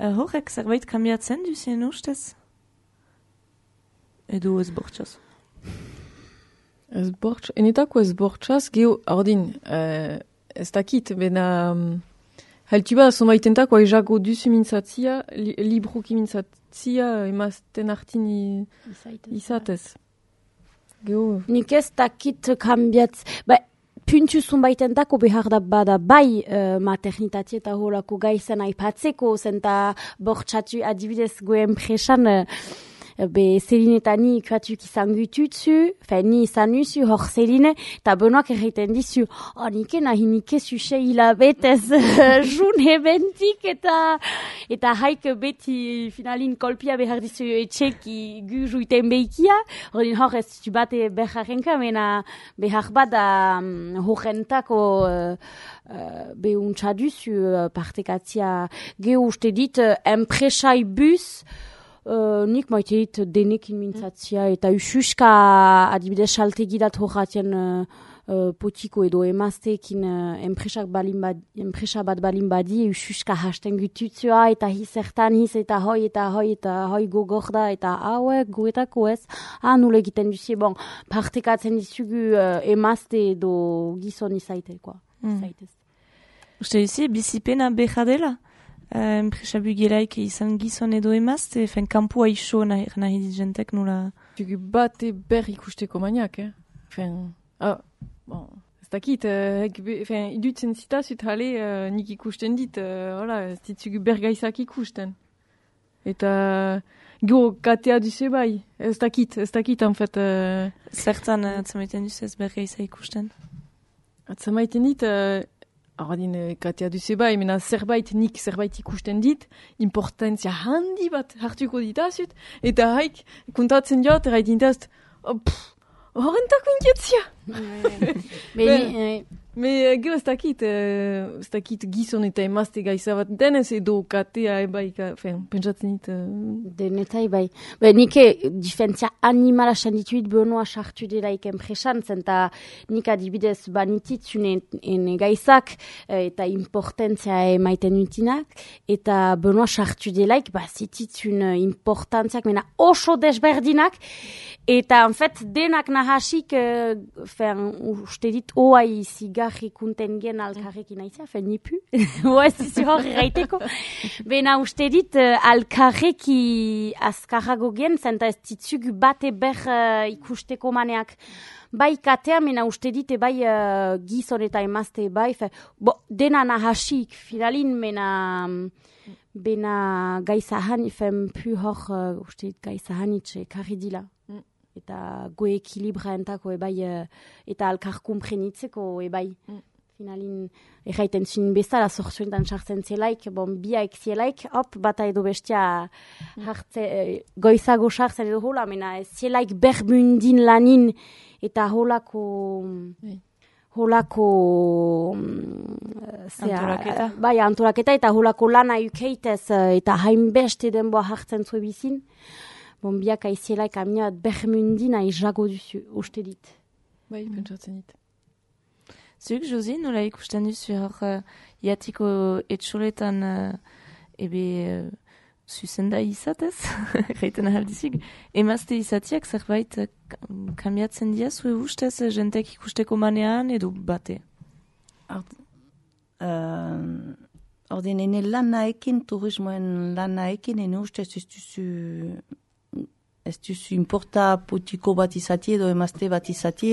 horrek zerbait kambiatzen duzien ustez? Edo ez bortxaz? Enetako ez bortxaz, geho, ordin, ez dakit, bena... Haltuba, somaitentako aizago duzu mintzatzia, libruki mintzatzia, emazten artin izatez. Geho. Nik ez dakit kambiatz, puntu zunbaitentako behar da bada bai maternitatea eta horako gaizan aipatzeko, zenta bortxatu adibidez goen presan, Zeline eta ni ikuatuk izan gututzu, ni izan nuzu hor Zeline, eta Benoak erreiten dizu, nike nahi nike zuxe hilabetez june bentik, eta haik beti finalin kolpia behar dizu etxeki gu juiten behikia, hor ez zu bate beharrenka, mena behar bada horrentako behuntza duzu partekatzia geho uste dit, enpresai bus, nik maite dit denekin mintzatzia eta ususka adibidez saltegidat horratien potiko edo emazteekin enpresa bat balin badi ususka hasten gututzua eta hizertan hiz eta hoi gogorda eta hauek guetako ez nule egiten duzie partekatzen dizugu emazte edo gizon izaite zaitez. Uste duzie bizipena behadela? Enpresa bugelaik izan gizon edo emazte, kanpua iso nahi dit jentek nula? Tugu bate ber ikusteko maniak, ez dakit, idutzen zitazut hale nik ikusten dit, ez ditugu bergaizak ikusten. Eta go katea duze bai, ez dakit, en fait. Zertan atzamaiten duz ez bergaiza ikusten? Atzamaiten dit, Ordin katea duze bai, mena nik zerbait ikusten dit, importantzia handi bat hartuko ditazut, eta haik kontatzen jot, erraiten ditazut, horrentako inketzia. Me gero ez dakit gizon eta emazte gaiza bat denez edo katea ebai, pentsatzen dit. Denetai bai. Nike difentzia animala sandituit Benoa sartu delaik enpresan, zenta nik adibidez banititzun ene gaizak eta importantzia emaiten utinak, eta Benoa sartu delaik zititzun importantziak mena oso desberdinak, eta en fait denak nahasik uste dit oai zigarri kunten gen alkarrekin aizia, nipu, oa zizu hor erraiteko. Bena uste dit alkarreki azkarrago gen, zenta ez ditzugu bate ber ikusteko maneak. Bai katea, mena uste dit bai gizon eta emazte bai, dena nahasik finalin, bena gaizahan ifen pu hor, uste dit gaizahan itxe karri dila. Eta goe ekilibra entako ebai, eta alkar kumprenitzeko ebai. Finalin, erraiten zuen bezala zorzuentan sartzen zelaik, biaek zelaik, bata edo bestia goizago sartzen edo hola, mena zelaik berbundin lanin, eta holako antoraketa. Bai, antoraketa, eta holako lana ukeitez, eta hainbeste denboa hartzen zuen bizin. Biak aizielaik aminat bermundina izago duzu, uste dit. Bai, pentsatzen dit. Zuk, Josi, nola ikusten duzu hor jatiko etxoletan zuzenda izatez, gaiten ahaldizik, emazte izatiak zerbait kambiatzen diazu ustez jentek ikusteko manean edo bate? Ordin, ene lanaekin, turismoen lanaekin, ene ustez ez duzu importa potiko bat izati edo emazte bat izati,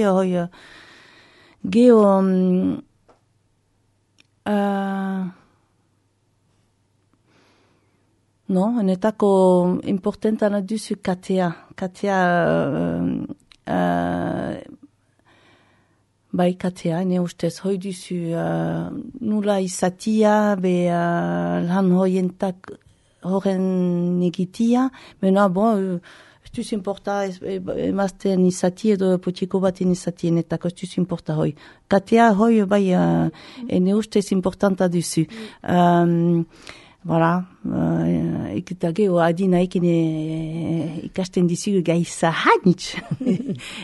geho enetako importantana duzu katea bai katea, ene ustez hoi duzu nula izatia lan hoientak horren egitia, mena ez duzu importa emazten izati edo potiko baten izatien eta ez duzu importa hoi. Katea hoi bai ene ustez importanta duzu. Voilà, eta geho adina ekin ikasten dizugu gaiza hanitz.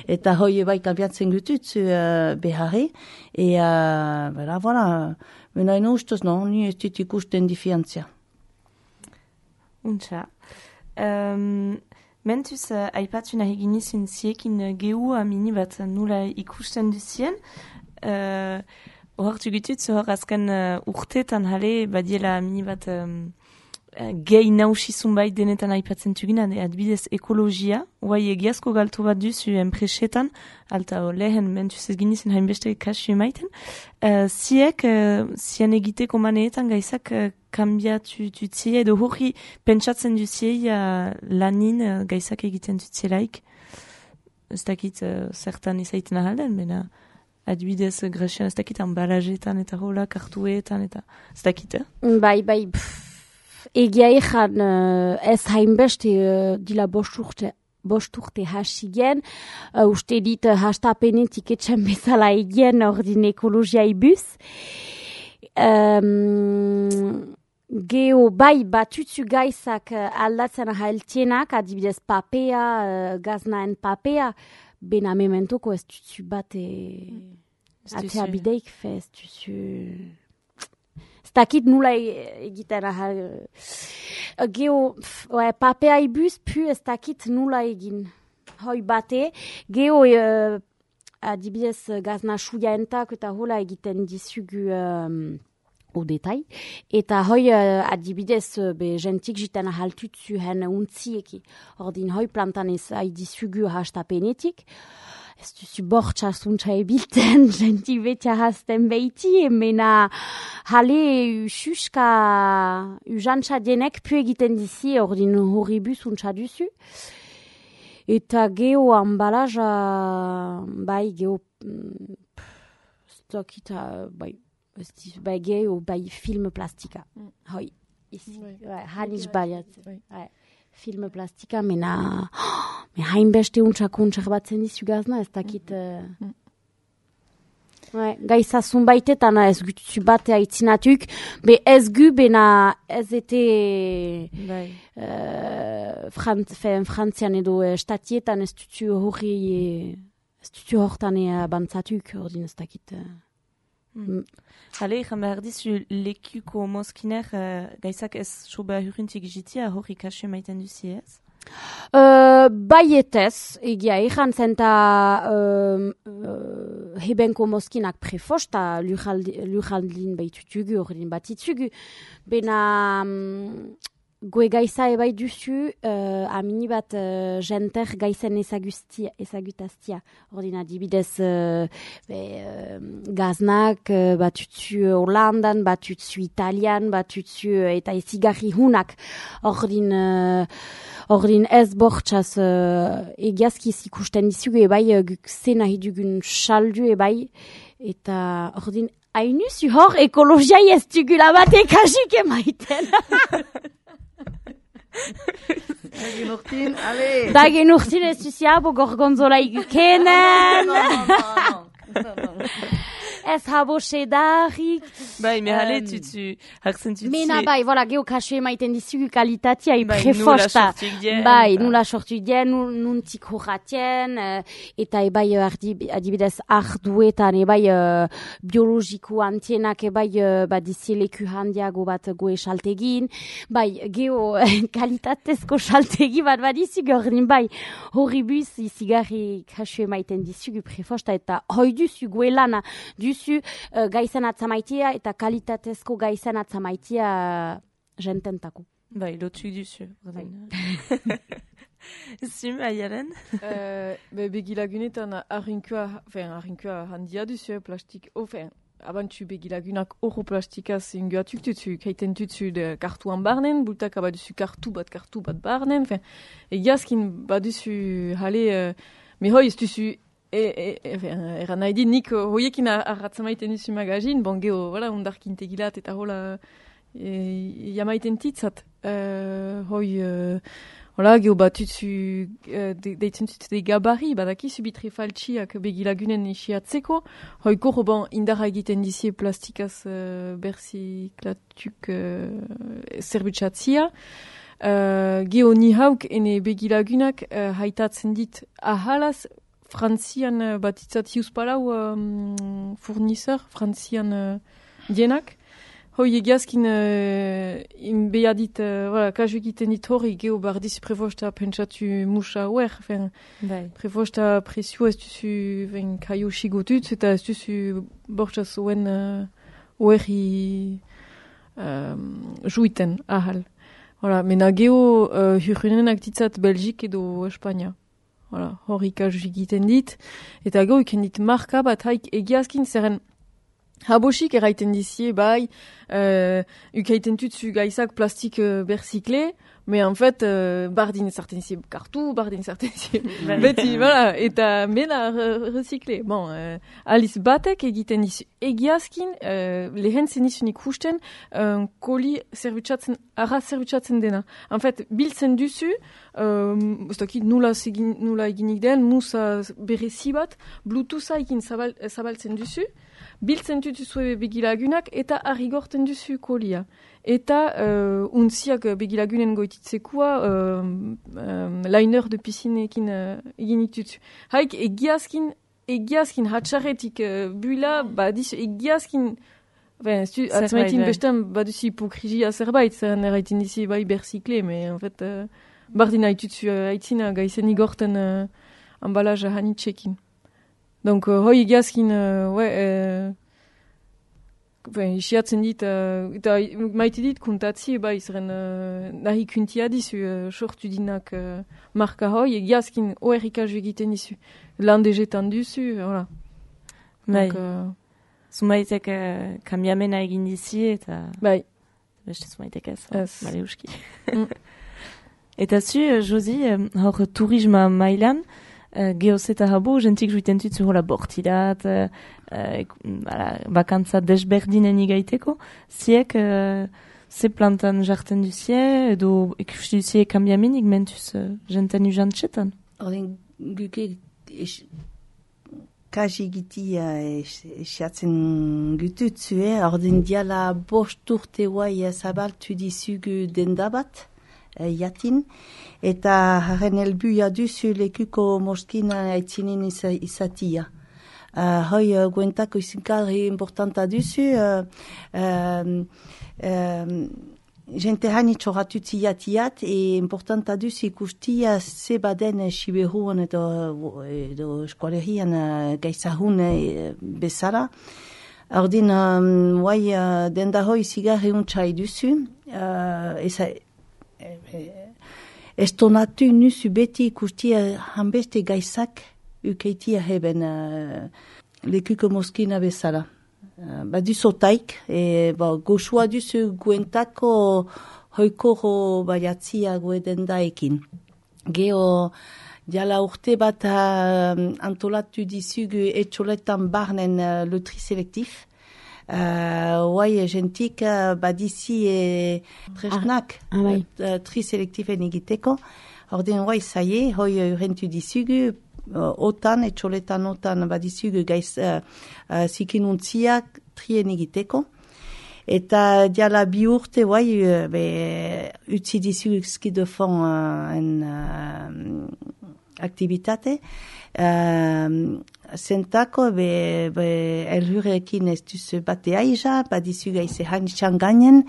Eta hoi bai kambiatzen gututzu beharri. Voilà, mena ene ustez ni ez dut ikusten difiantzia. Untxa. Mentuz, aipatzu nahi ginizun ziekin gehu amini bat nula ikusten duzien. Hortu gutut, hor azken urteetan jale badiela amini bat gehi nausizun bai denetan aipatzen tugina, adibidez ekologia, guai egiazko galtu bat duzu enpresetan, alta lehen mentuz ez ginizen hainbeste kasu emaiten, zien egiteko maneetan gaizak kambiatu dutzia, edo hori pentsatzen dutzia lanin gaizak egiten dutzielaik, ez dakit zertan izaiten ahalden, bena adibidez gresian ez dakit ambalajetan eta hola kartuetan eta ez dakit, Bai, egia ezan ez hainbeste dila bost urte hasi gen, uste dit hastapenetik etxen bezala egien ordin ekologia ibuz. Geo bai batutzu gaizak aldatzen haeltienak, adibidez papea, gaznaen papea, bena mementoko ez tutzu bat atea bideik fe, ez tutzu... Stakit nula egiten ahal. Geo, papea ibuz, pu stakit nula egin. Hoi bate, geo adibidez gazna suya entak eta hola egiten dizugu odetai. Eta hoi adibidez jentik jiten ahaltutzu hen untzieki. Ordin hoi plantan ez dizugu hastapenetik. Ez duzu bortxa zuntza ebilten, jentik betia hasten behiti, mena hale ususka ujantza denek pu egiten dizi, ordin horribu zuntza duzu. Eta geo ambalaja, bai, geo, stokita, bai, geo, bai, film plastika. Hoi, haniz baliat. Film plastika, mena hainbeste untxak batzen dizu gazna, ez dakit... Gaizazun baitetan ez gutu bat aitzinatuk, be ez gu bena ez ete frantzian edo estatietan ez dutu hortan abantzatuk, ordin ez dakit... Hale, egan behar dizu lekuko moskiner gaizak ez soba hurrentik jitia hori kasu maiten duzi ez? Baietez, egia egan zenta hebenko moskinak prefosta lujaldin baitutugu, horren batitugu, bena goe gaiza ebai duzu, amini bat jenter gaizen ezagutaztia. Ordin adibidez gaznak, batutzu Holandan, batutzu Italian, batutzu eta ezigarri hunak. Ordin ez bortxaz egiazkiz ikusten dizugu ebai zen nahi dugun saldu ebai. Eta ordin hainuzu hor ekologia ez dugula batek hasik emaiten. Dagen urtin, ale! Dagen urtin ez duziabo gorgonzola igukenen! No. Ez habo sedarik. Bai, mehale tutu, hartzen tutu. Mena bai, voilà, geo kasu emaiten dizugu kalitatia prefosta. Bai, nula sortu dien, nuntik horratien, eta ebai adibidez arduetan, ebai biologiko antienak, ebai dizieleku handiago bat goe saltegin. Bai, geo kalitatezko saltegi bat badizugu, ordin bai, horribuz izigarri kasu emaiten dizugu prefosta, eta hoi duzu goe lana, duzu gaizan atzamaitia eta kalitatezko gaizan atzamaitia jententako. Bai, lotu duzu. Zim, aiaren? Begilagunetan arrinkua handia duzu plastik, abantzu begilagunak oro plastikaz ingoatuk duzu, kaiten duzu kartuan barnen, bultak abaduzu kartu bat barnen, egiazkin baduzu hale, mehoi ez duzu eran nahi dit, nik hoiekin arratzamaiten duzu magazin, bon geho, undarkin tegilat eta hola jamaiten titzat. Geho batutzu deitzen zutze gabari, badakizu bitre faltxiak begilagunen isiatzeko, koro bon indarra egiten dizie plastikaz berziklatuk zerbutsatzia. Geho ni hauk ene begilagunak haitatzen dit ahalaz, Frantzian batitzat hiuspalau fournisseur, Frantzian dienak. Hoi egiazkin inbeadit, kasu egiten dit hori, geho bardiz prefosta pentsatu musa huer, prefosta presio ez duzu kaio sigotut, eta ez duzu bortxaz oen huerri juiten ahal. Voilà, mena geo hurrunenak ditzat Belgik edo Espainia. Voilà, hor ikasuz egiten dit. Eta gero iken dit marka bat haik egiazkin zerren habosik eraiten dizie bai, ukaiten tutsu gaizak plastik berzikle, mais en fait, bardin sarten dizie kartu, bardin sarten dizie beti, voilà, eta mena recyclé. Bon, aliz batek egiten dizu egiazkin, lehen zenizun ikusten, koli zerbitzatzen dena. En fait, biltzen duzu, ez dakit nula eginik den, musa berezi bat, bluetootha egin zabaltzen duzu, biltzen duzue begilagunak eta arrigorten duzu kolia. Eta untziak begilagunen goititzekoa liner de piscinekin egin dituzu. Haik egiazkin hatxarretik buila, badizu egiazkin atzmaitin bestan baduzu hipokrizia zerbait, zeren erraiten dizi bai berzikle, mais en fait bardin haituzu haitzina gaizen igorten embalaja hanitxekin. Donc, hoi egiazkin, isiatzen dit, eta maite dit kontatzi, zeren nahi kuntia dizu, sortu dinak marka hoi, egiazkin oerrikazu egiten dizu. Landejetan duzu, voilà. Bai, zumaitek kambiamena egin dizi, eta... Bai. Beste zumaitek ez, bale uski. Eta zu, Josi, hor turisma mailan, geoz eta habo, jentik juiten tutzu hola bortidat, bakantza desberdinen igaiteko, ziek ze plantan jarten duzie, edo ikusti duzie kambiamenik mentuz jenten ujantxetan? Horren guke kaji gitia esiatzen gututzue, horren diala bost urte guai zabaltu dizugu dendabat, jatin, eta haren helbuia duzu lekuko moskina aitzinen izatia. Hoi guentako izinkarri importanta duzu, jente hanitxo ratutzi jatiat, importanta duzu ikustia ze baden siberuan edo eskualerian gaizahun bezala. Ordin, denda hoi zigarri untxai duzu, estonatu nuzu beti ikustia hanbeste gaizak ukeitia heben lekuko moskina bezala. Baduzotaik, goxua duzu guentako hoikoro baiatzia gueden daekin. Geo, diala urte bat antolatu dizugu etxoletan barnen lotri selektif. Jentik badizi tresnak tri selektifen egiteko. Orden zaie, hoi urentu dizugu, otan, etxoletan otan badizugu gaiz zikinuntziak trien egiteko. Eta diala bi urte, utzi dizugu ski de fond aktivitate. Zentako elhurekin ez duz bate aiza, badizu gaize hanitxan gainen,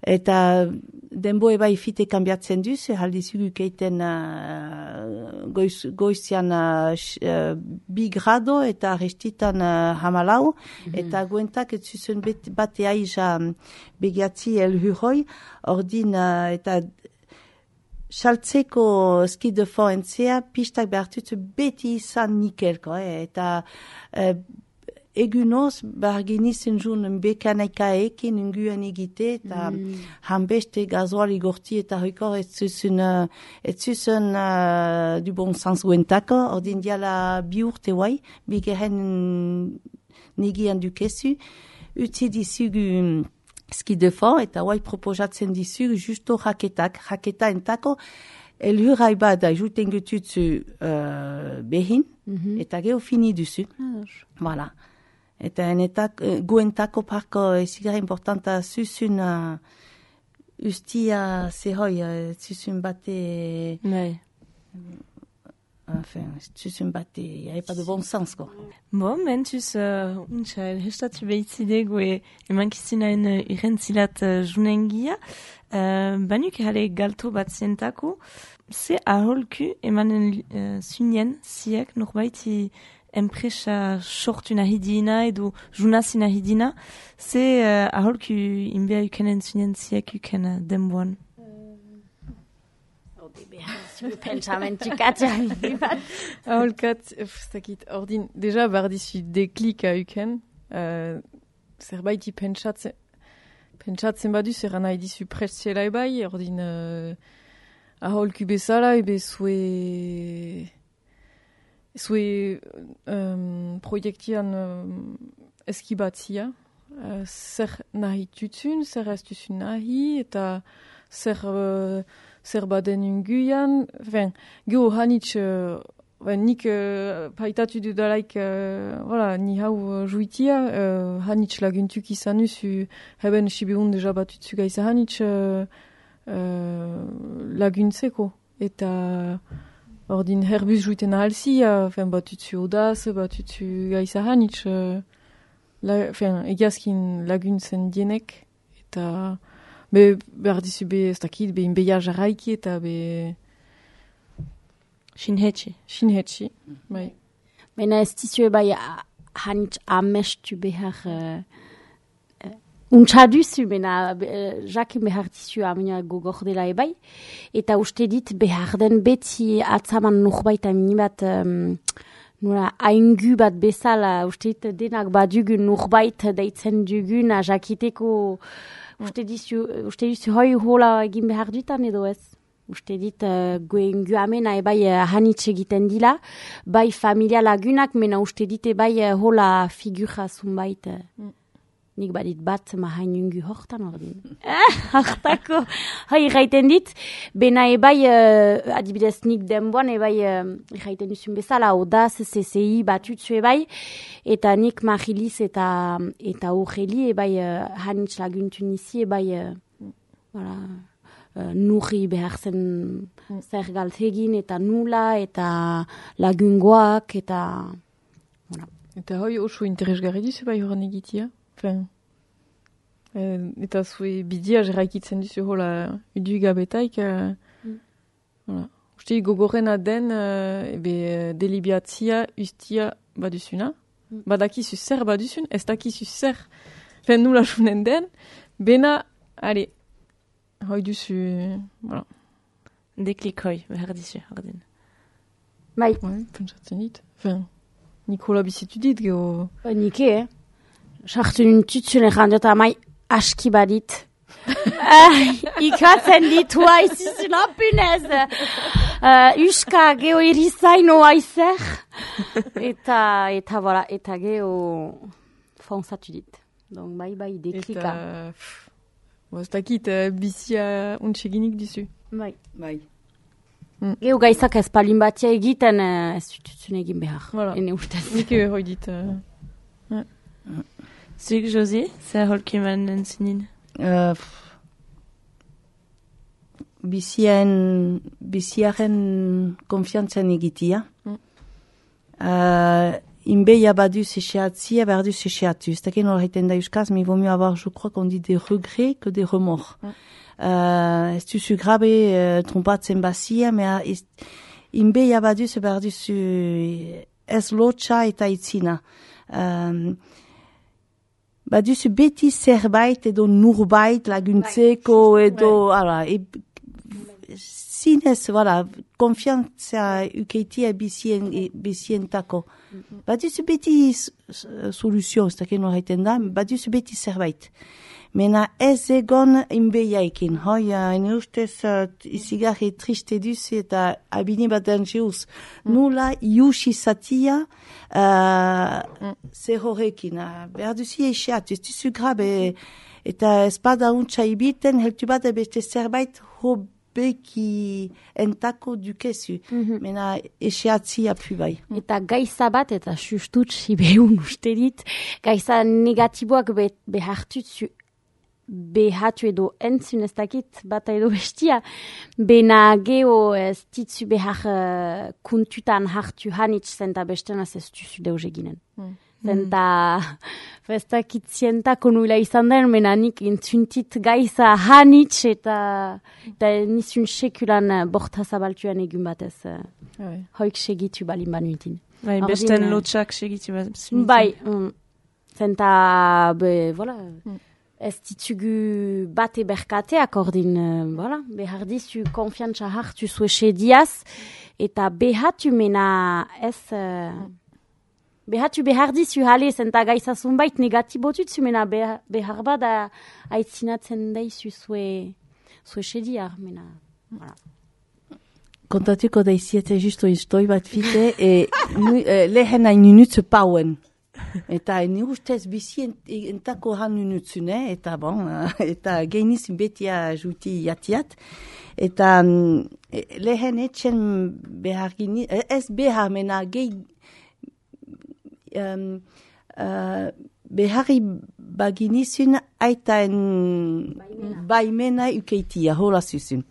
eta denboe bai fite kambiatzen duz, haldizugu keiten goizian 2 grado eta restitan 14, eta guentak ez zuzen bate aiza begiatzi elhuroi, ordin eta saltzeko ski de fond entzea, pistak behartutzu beti izan nikelko, eta egunoz barginizen jun bekanaika ekin unguen egite, eta hanbeste gazoal igorti eta hoikor ez zuzen du bon sens guentako, ordin diala bi urte guai, bigeren negian dukezu, utzi dizugu ski de fond, eta guai proposatzen dizugu justo raketa entako, elhurai bada juten gututzu behin, eta geho fini duzu. Voilà. Eta guentako parko ezigara importanta zuzun ustia zehoi, zuzun bate... Enfin, zuzun bate, y'a pas de bon sens, quoi. Bon, mentuz, untxail, hestatu behitzidegu emankizinaen irentzilat junengia, banuk jale galto bat zientako, ze aholku emanen zunien ziek norbaiti enpresa sortu nahi diena edo junazi nahi diena, ze aholku inbea uken entzunen ziak uken denboan. Aholkat, zakit, ordin, deja bardizu deklik a uken, zerbaiti pentsatzen badu, zer nahi dizu prestziela ebai, ordin aholku bezala, ebe zue proiektian eskibatzia, zer nahi tutsun, zer ez tutsun nahi, eta zer baden unguian, geho hanitz, nik paitatu dudalaik, ni hau juitia, hanitz laguntuk izan usu, heben sibeun deja batutzu gaiza hanitz laguntzeko, eta ordin herbus juiten ahalzi, batutzu odaz, batutzu gaiza hanitz, egiazkin laguntzen dienek, eta behar dizu ez dakit, inbeia jarraiki eta Shinhetxi, bai. Baina ez dizue bai hanitz amestu behar untxaduzu, baina jakin behar dizu amina gogordela ebai, eta uste dit behar den beti atzaman norbait aminibat nola aingu bat bezala, uste dit denak badugun norbait deitzen dugun jakiteko. Uste dizu hoi hola egin behar dutan edo ez? Uste dit goengu amena ebai hanitz egiten dila, bai familia lagunak, mena uste dit ebai hola figura zunbait. Nik badit bat mahainungu hortan ordin. Hartako. Hoi gaiten dit, bena ebai, adibidez nik denboan ebai gaiten duzun bezala, odaz, CCI batutzu ebai, eta nik Mariliz eta Aureli ebai hanitz laguntu nizi ebai nurri behar zen zer galtegin eta nula eta lagungoak eta... Eta hoi oso interesgarri duzu bai horan egitia? Eta zue bidia jarraikitzen duzu hola udu gabetaik. Uste gogorrena den delibiatzia ustia baduzuna. Badakizu zer baduzun, ez dakizu zer nula junen den. Bena, ale, hoi duzu, voilà. Deklik hoi, behar dizu, ordin. Bai. Pentsatzen dit. Nikola bizitu dit, geho... Nike, sartu nintutzen errandiota amai aski badit. Ikatzen ditu haizizun apunez. Uska geho irizaino aizer. Eta voilà, eta geho fonzatu dit. Donc bai deklika. Eta, ez dakit, bizia untseginik dizu. Bai. Geho gaizak ez palin batia egiten ez dututzen egin behar. Voilà. Ene ustez. Nik hoi dit. Zuk, Josi, zer holkiman entzinin? Biziaren konfiantzen egitia. Inbeia badu sécheatzia, badu sécheatu. C'est taken horreiten da euskaz, mais il vaut mieux avoir, je crois qu'on dit des regrets que des remords. Ez duzu grabe trompatzen bazia, mea inbeia badu ze barduzu ez lotxa eta itzina. Baduzu beti zerbait edo nurbait laguntzeko edo, zinez, konfiantzia ukeitia bizientako. Baduzu beti soluzio, ez daken horreiten da, baduzu beti zerbait. Mena ez egon inbeiaikin. Hoi, ene ustez izigarri triste duz eta abini bat dangeuz. Nula iusi zatia zer horrekin. Behar duzi eixeatu, ez duzu grabe. Eta ez bada untsa ibiten, heltu bat beste zerbait hobeki entako dukezu. Mena eixeatzia pu bai. Eta gaiza bat, eta sustutsi behun uste dit, gaiza negatiboak behartutzu behatu edo entzun ez dakit bata edo bestia, bena geho ez ditzu behar kuntutan hartu hanitz zen da bestenaz ez duzu deuz eginen. Zenta, festakitzientako nuela izan den, menanik intzuntit gaiza hanitz eta nizun sekulan borta zabaltuan egun batez. Hoik segitu balin banuitin. Bai, besten lotxak segitu banuitin. Bai, zenta, voilà, ez ditugu bate berkateak ordin, voilà, behar dizu konfiantza hartu zue sediaz, eta behatu mena ez... Behar dizu jale, zenta gaizazun bait negatibotut zumena behar bada aitzinatzen daizu zue sediar, mena. Voilà. Kontatuko daiziete justo istoi bat fite, lehen hain ninutzu pauen. Eta ni ustez bizi entako han ninutzune, eta bon, eta geinizin betia juti jatiat. Eta lehen etxen behar gini, ez behar mena gehi, beharri baginizun aitaen baimena ukeitia, hola zuzun.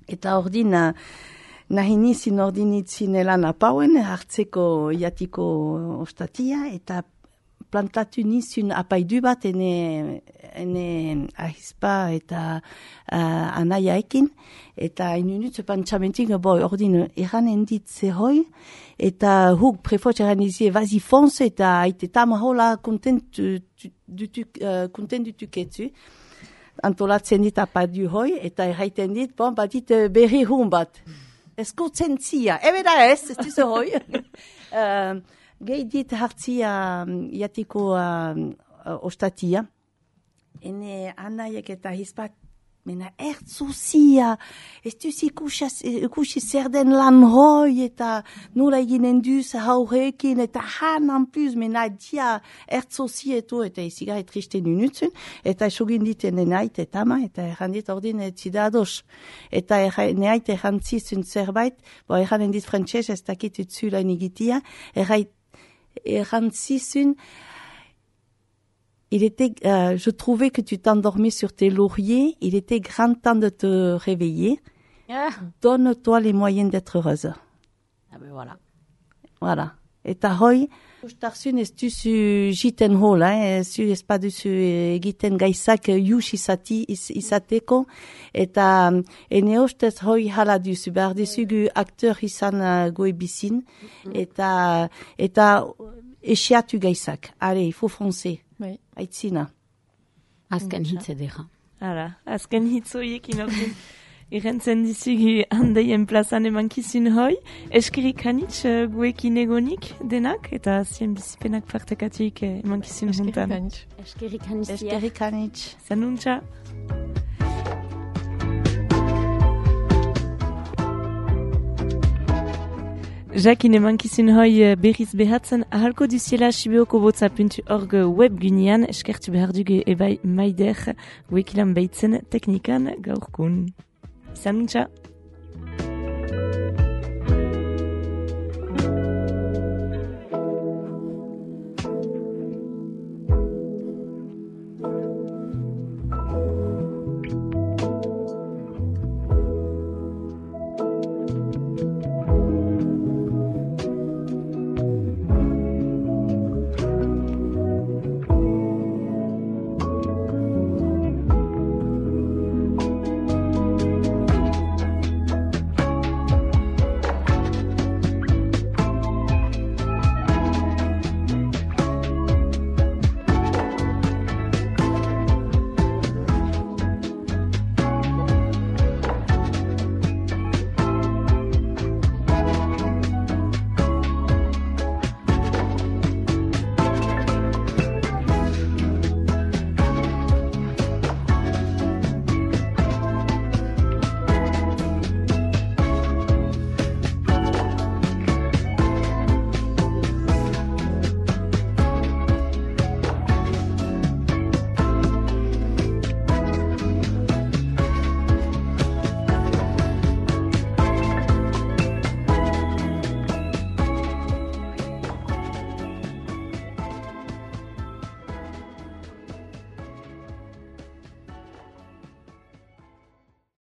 Eta ordin, nahi nizin ordinitzin elan apauen, hartzeko jatiko ostatia, eta plantatu nizun apaidu bat ene ahispa eta anaiaekin, eta inunutze pantsamentik, ordin eranen ditze hoi, eta huk prefot eranizie vazi fonse, eta aite tamahola kontent dutuketzu. Antolatzen dit apaidu hoi, eta erraiten dit, badit berri hun bat. Eskurtzen zia, ebeda ez duze hoi. Gehi dit hartzia jatiko ostatia. Ene anaiek eta hispat, mena ertzuzia, ez duzi ikusi zer den lan hoi, eta nola eginen duz haurekin, eta hanan puz, mena dia ertzuzietu, eta izigarri triste nunutzen, eta esogin diten enait eta ama, eta errandit ordin etzidados. Eta enait errantzizun zerbait, erranen dit frantxez, ez dakit utzula inigitia, errantzizun, je trouvais que tu t'endormais sur tes lauriers. Il était grand temps de te réveiller. Donne-toi les moyens d'être heureuse. Ah ben voilà. Voilà. Eta hoi, ustarzun ez duzu jiten hola, ez pas duzu egiten gaizak jus izateko. Eta ene ustez hoi hala duzu, behar duzugu akteur izan goebizin. Eta esiatu gaizak. Allez, il faut foncer. Bai. Aitzina. Azken hitze dira. Hala, azken hitzoiek inordin irrentzen dizugu handeien plazan emankizun hoi. Eskirik hanitz guekin egonik denak, eta zien bizipenak partekatik emankizun juntan. Eskirik hanitz. Eskirik hanitz. Zanuntza. Jakin emankizun hoi berriz behatzen ahalko duziela sibeokobotza.org webgunean eskertu behar dugu ebai maider guekilan beitzen teknikan gaurkun. Zanuntza!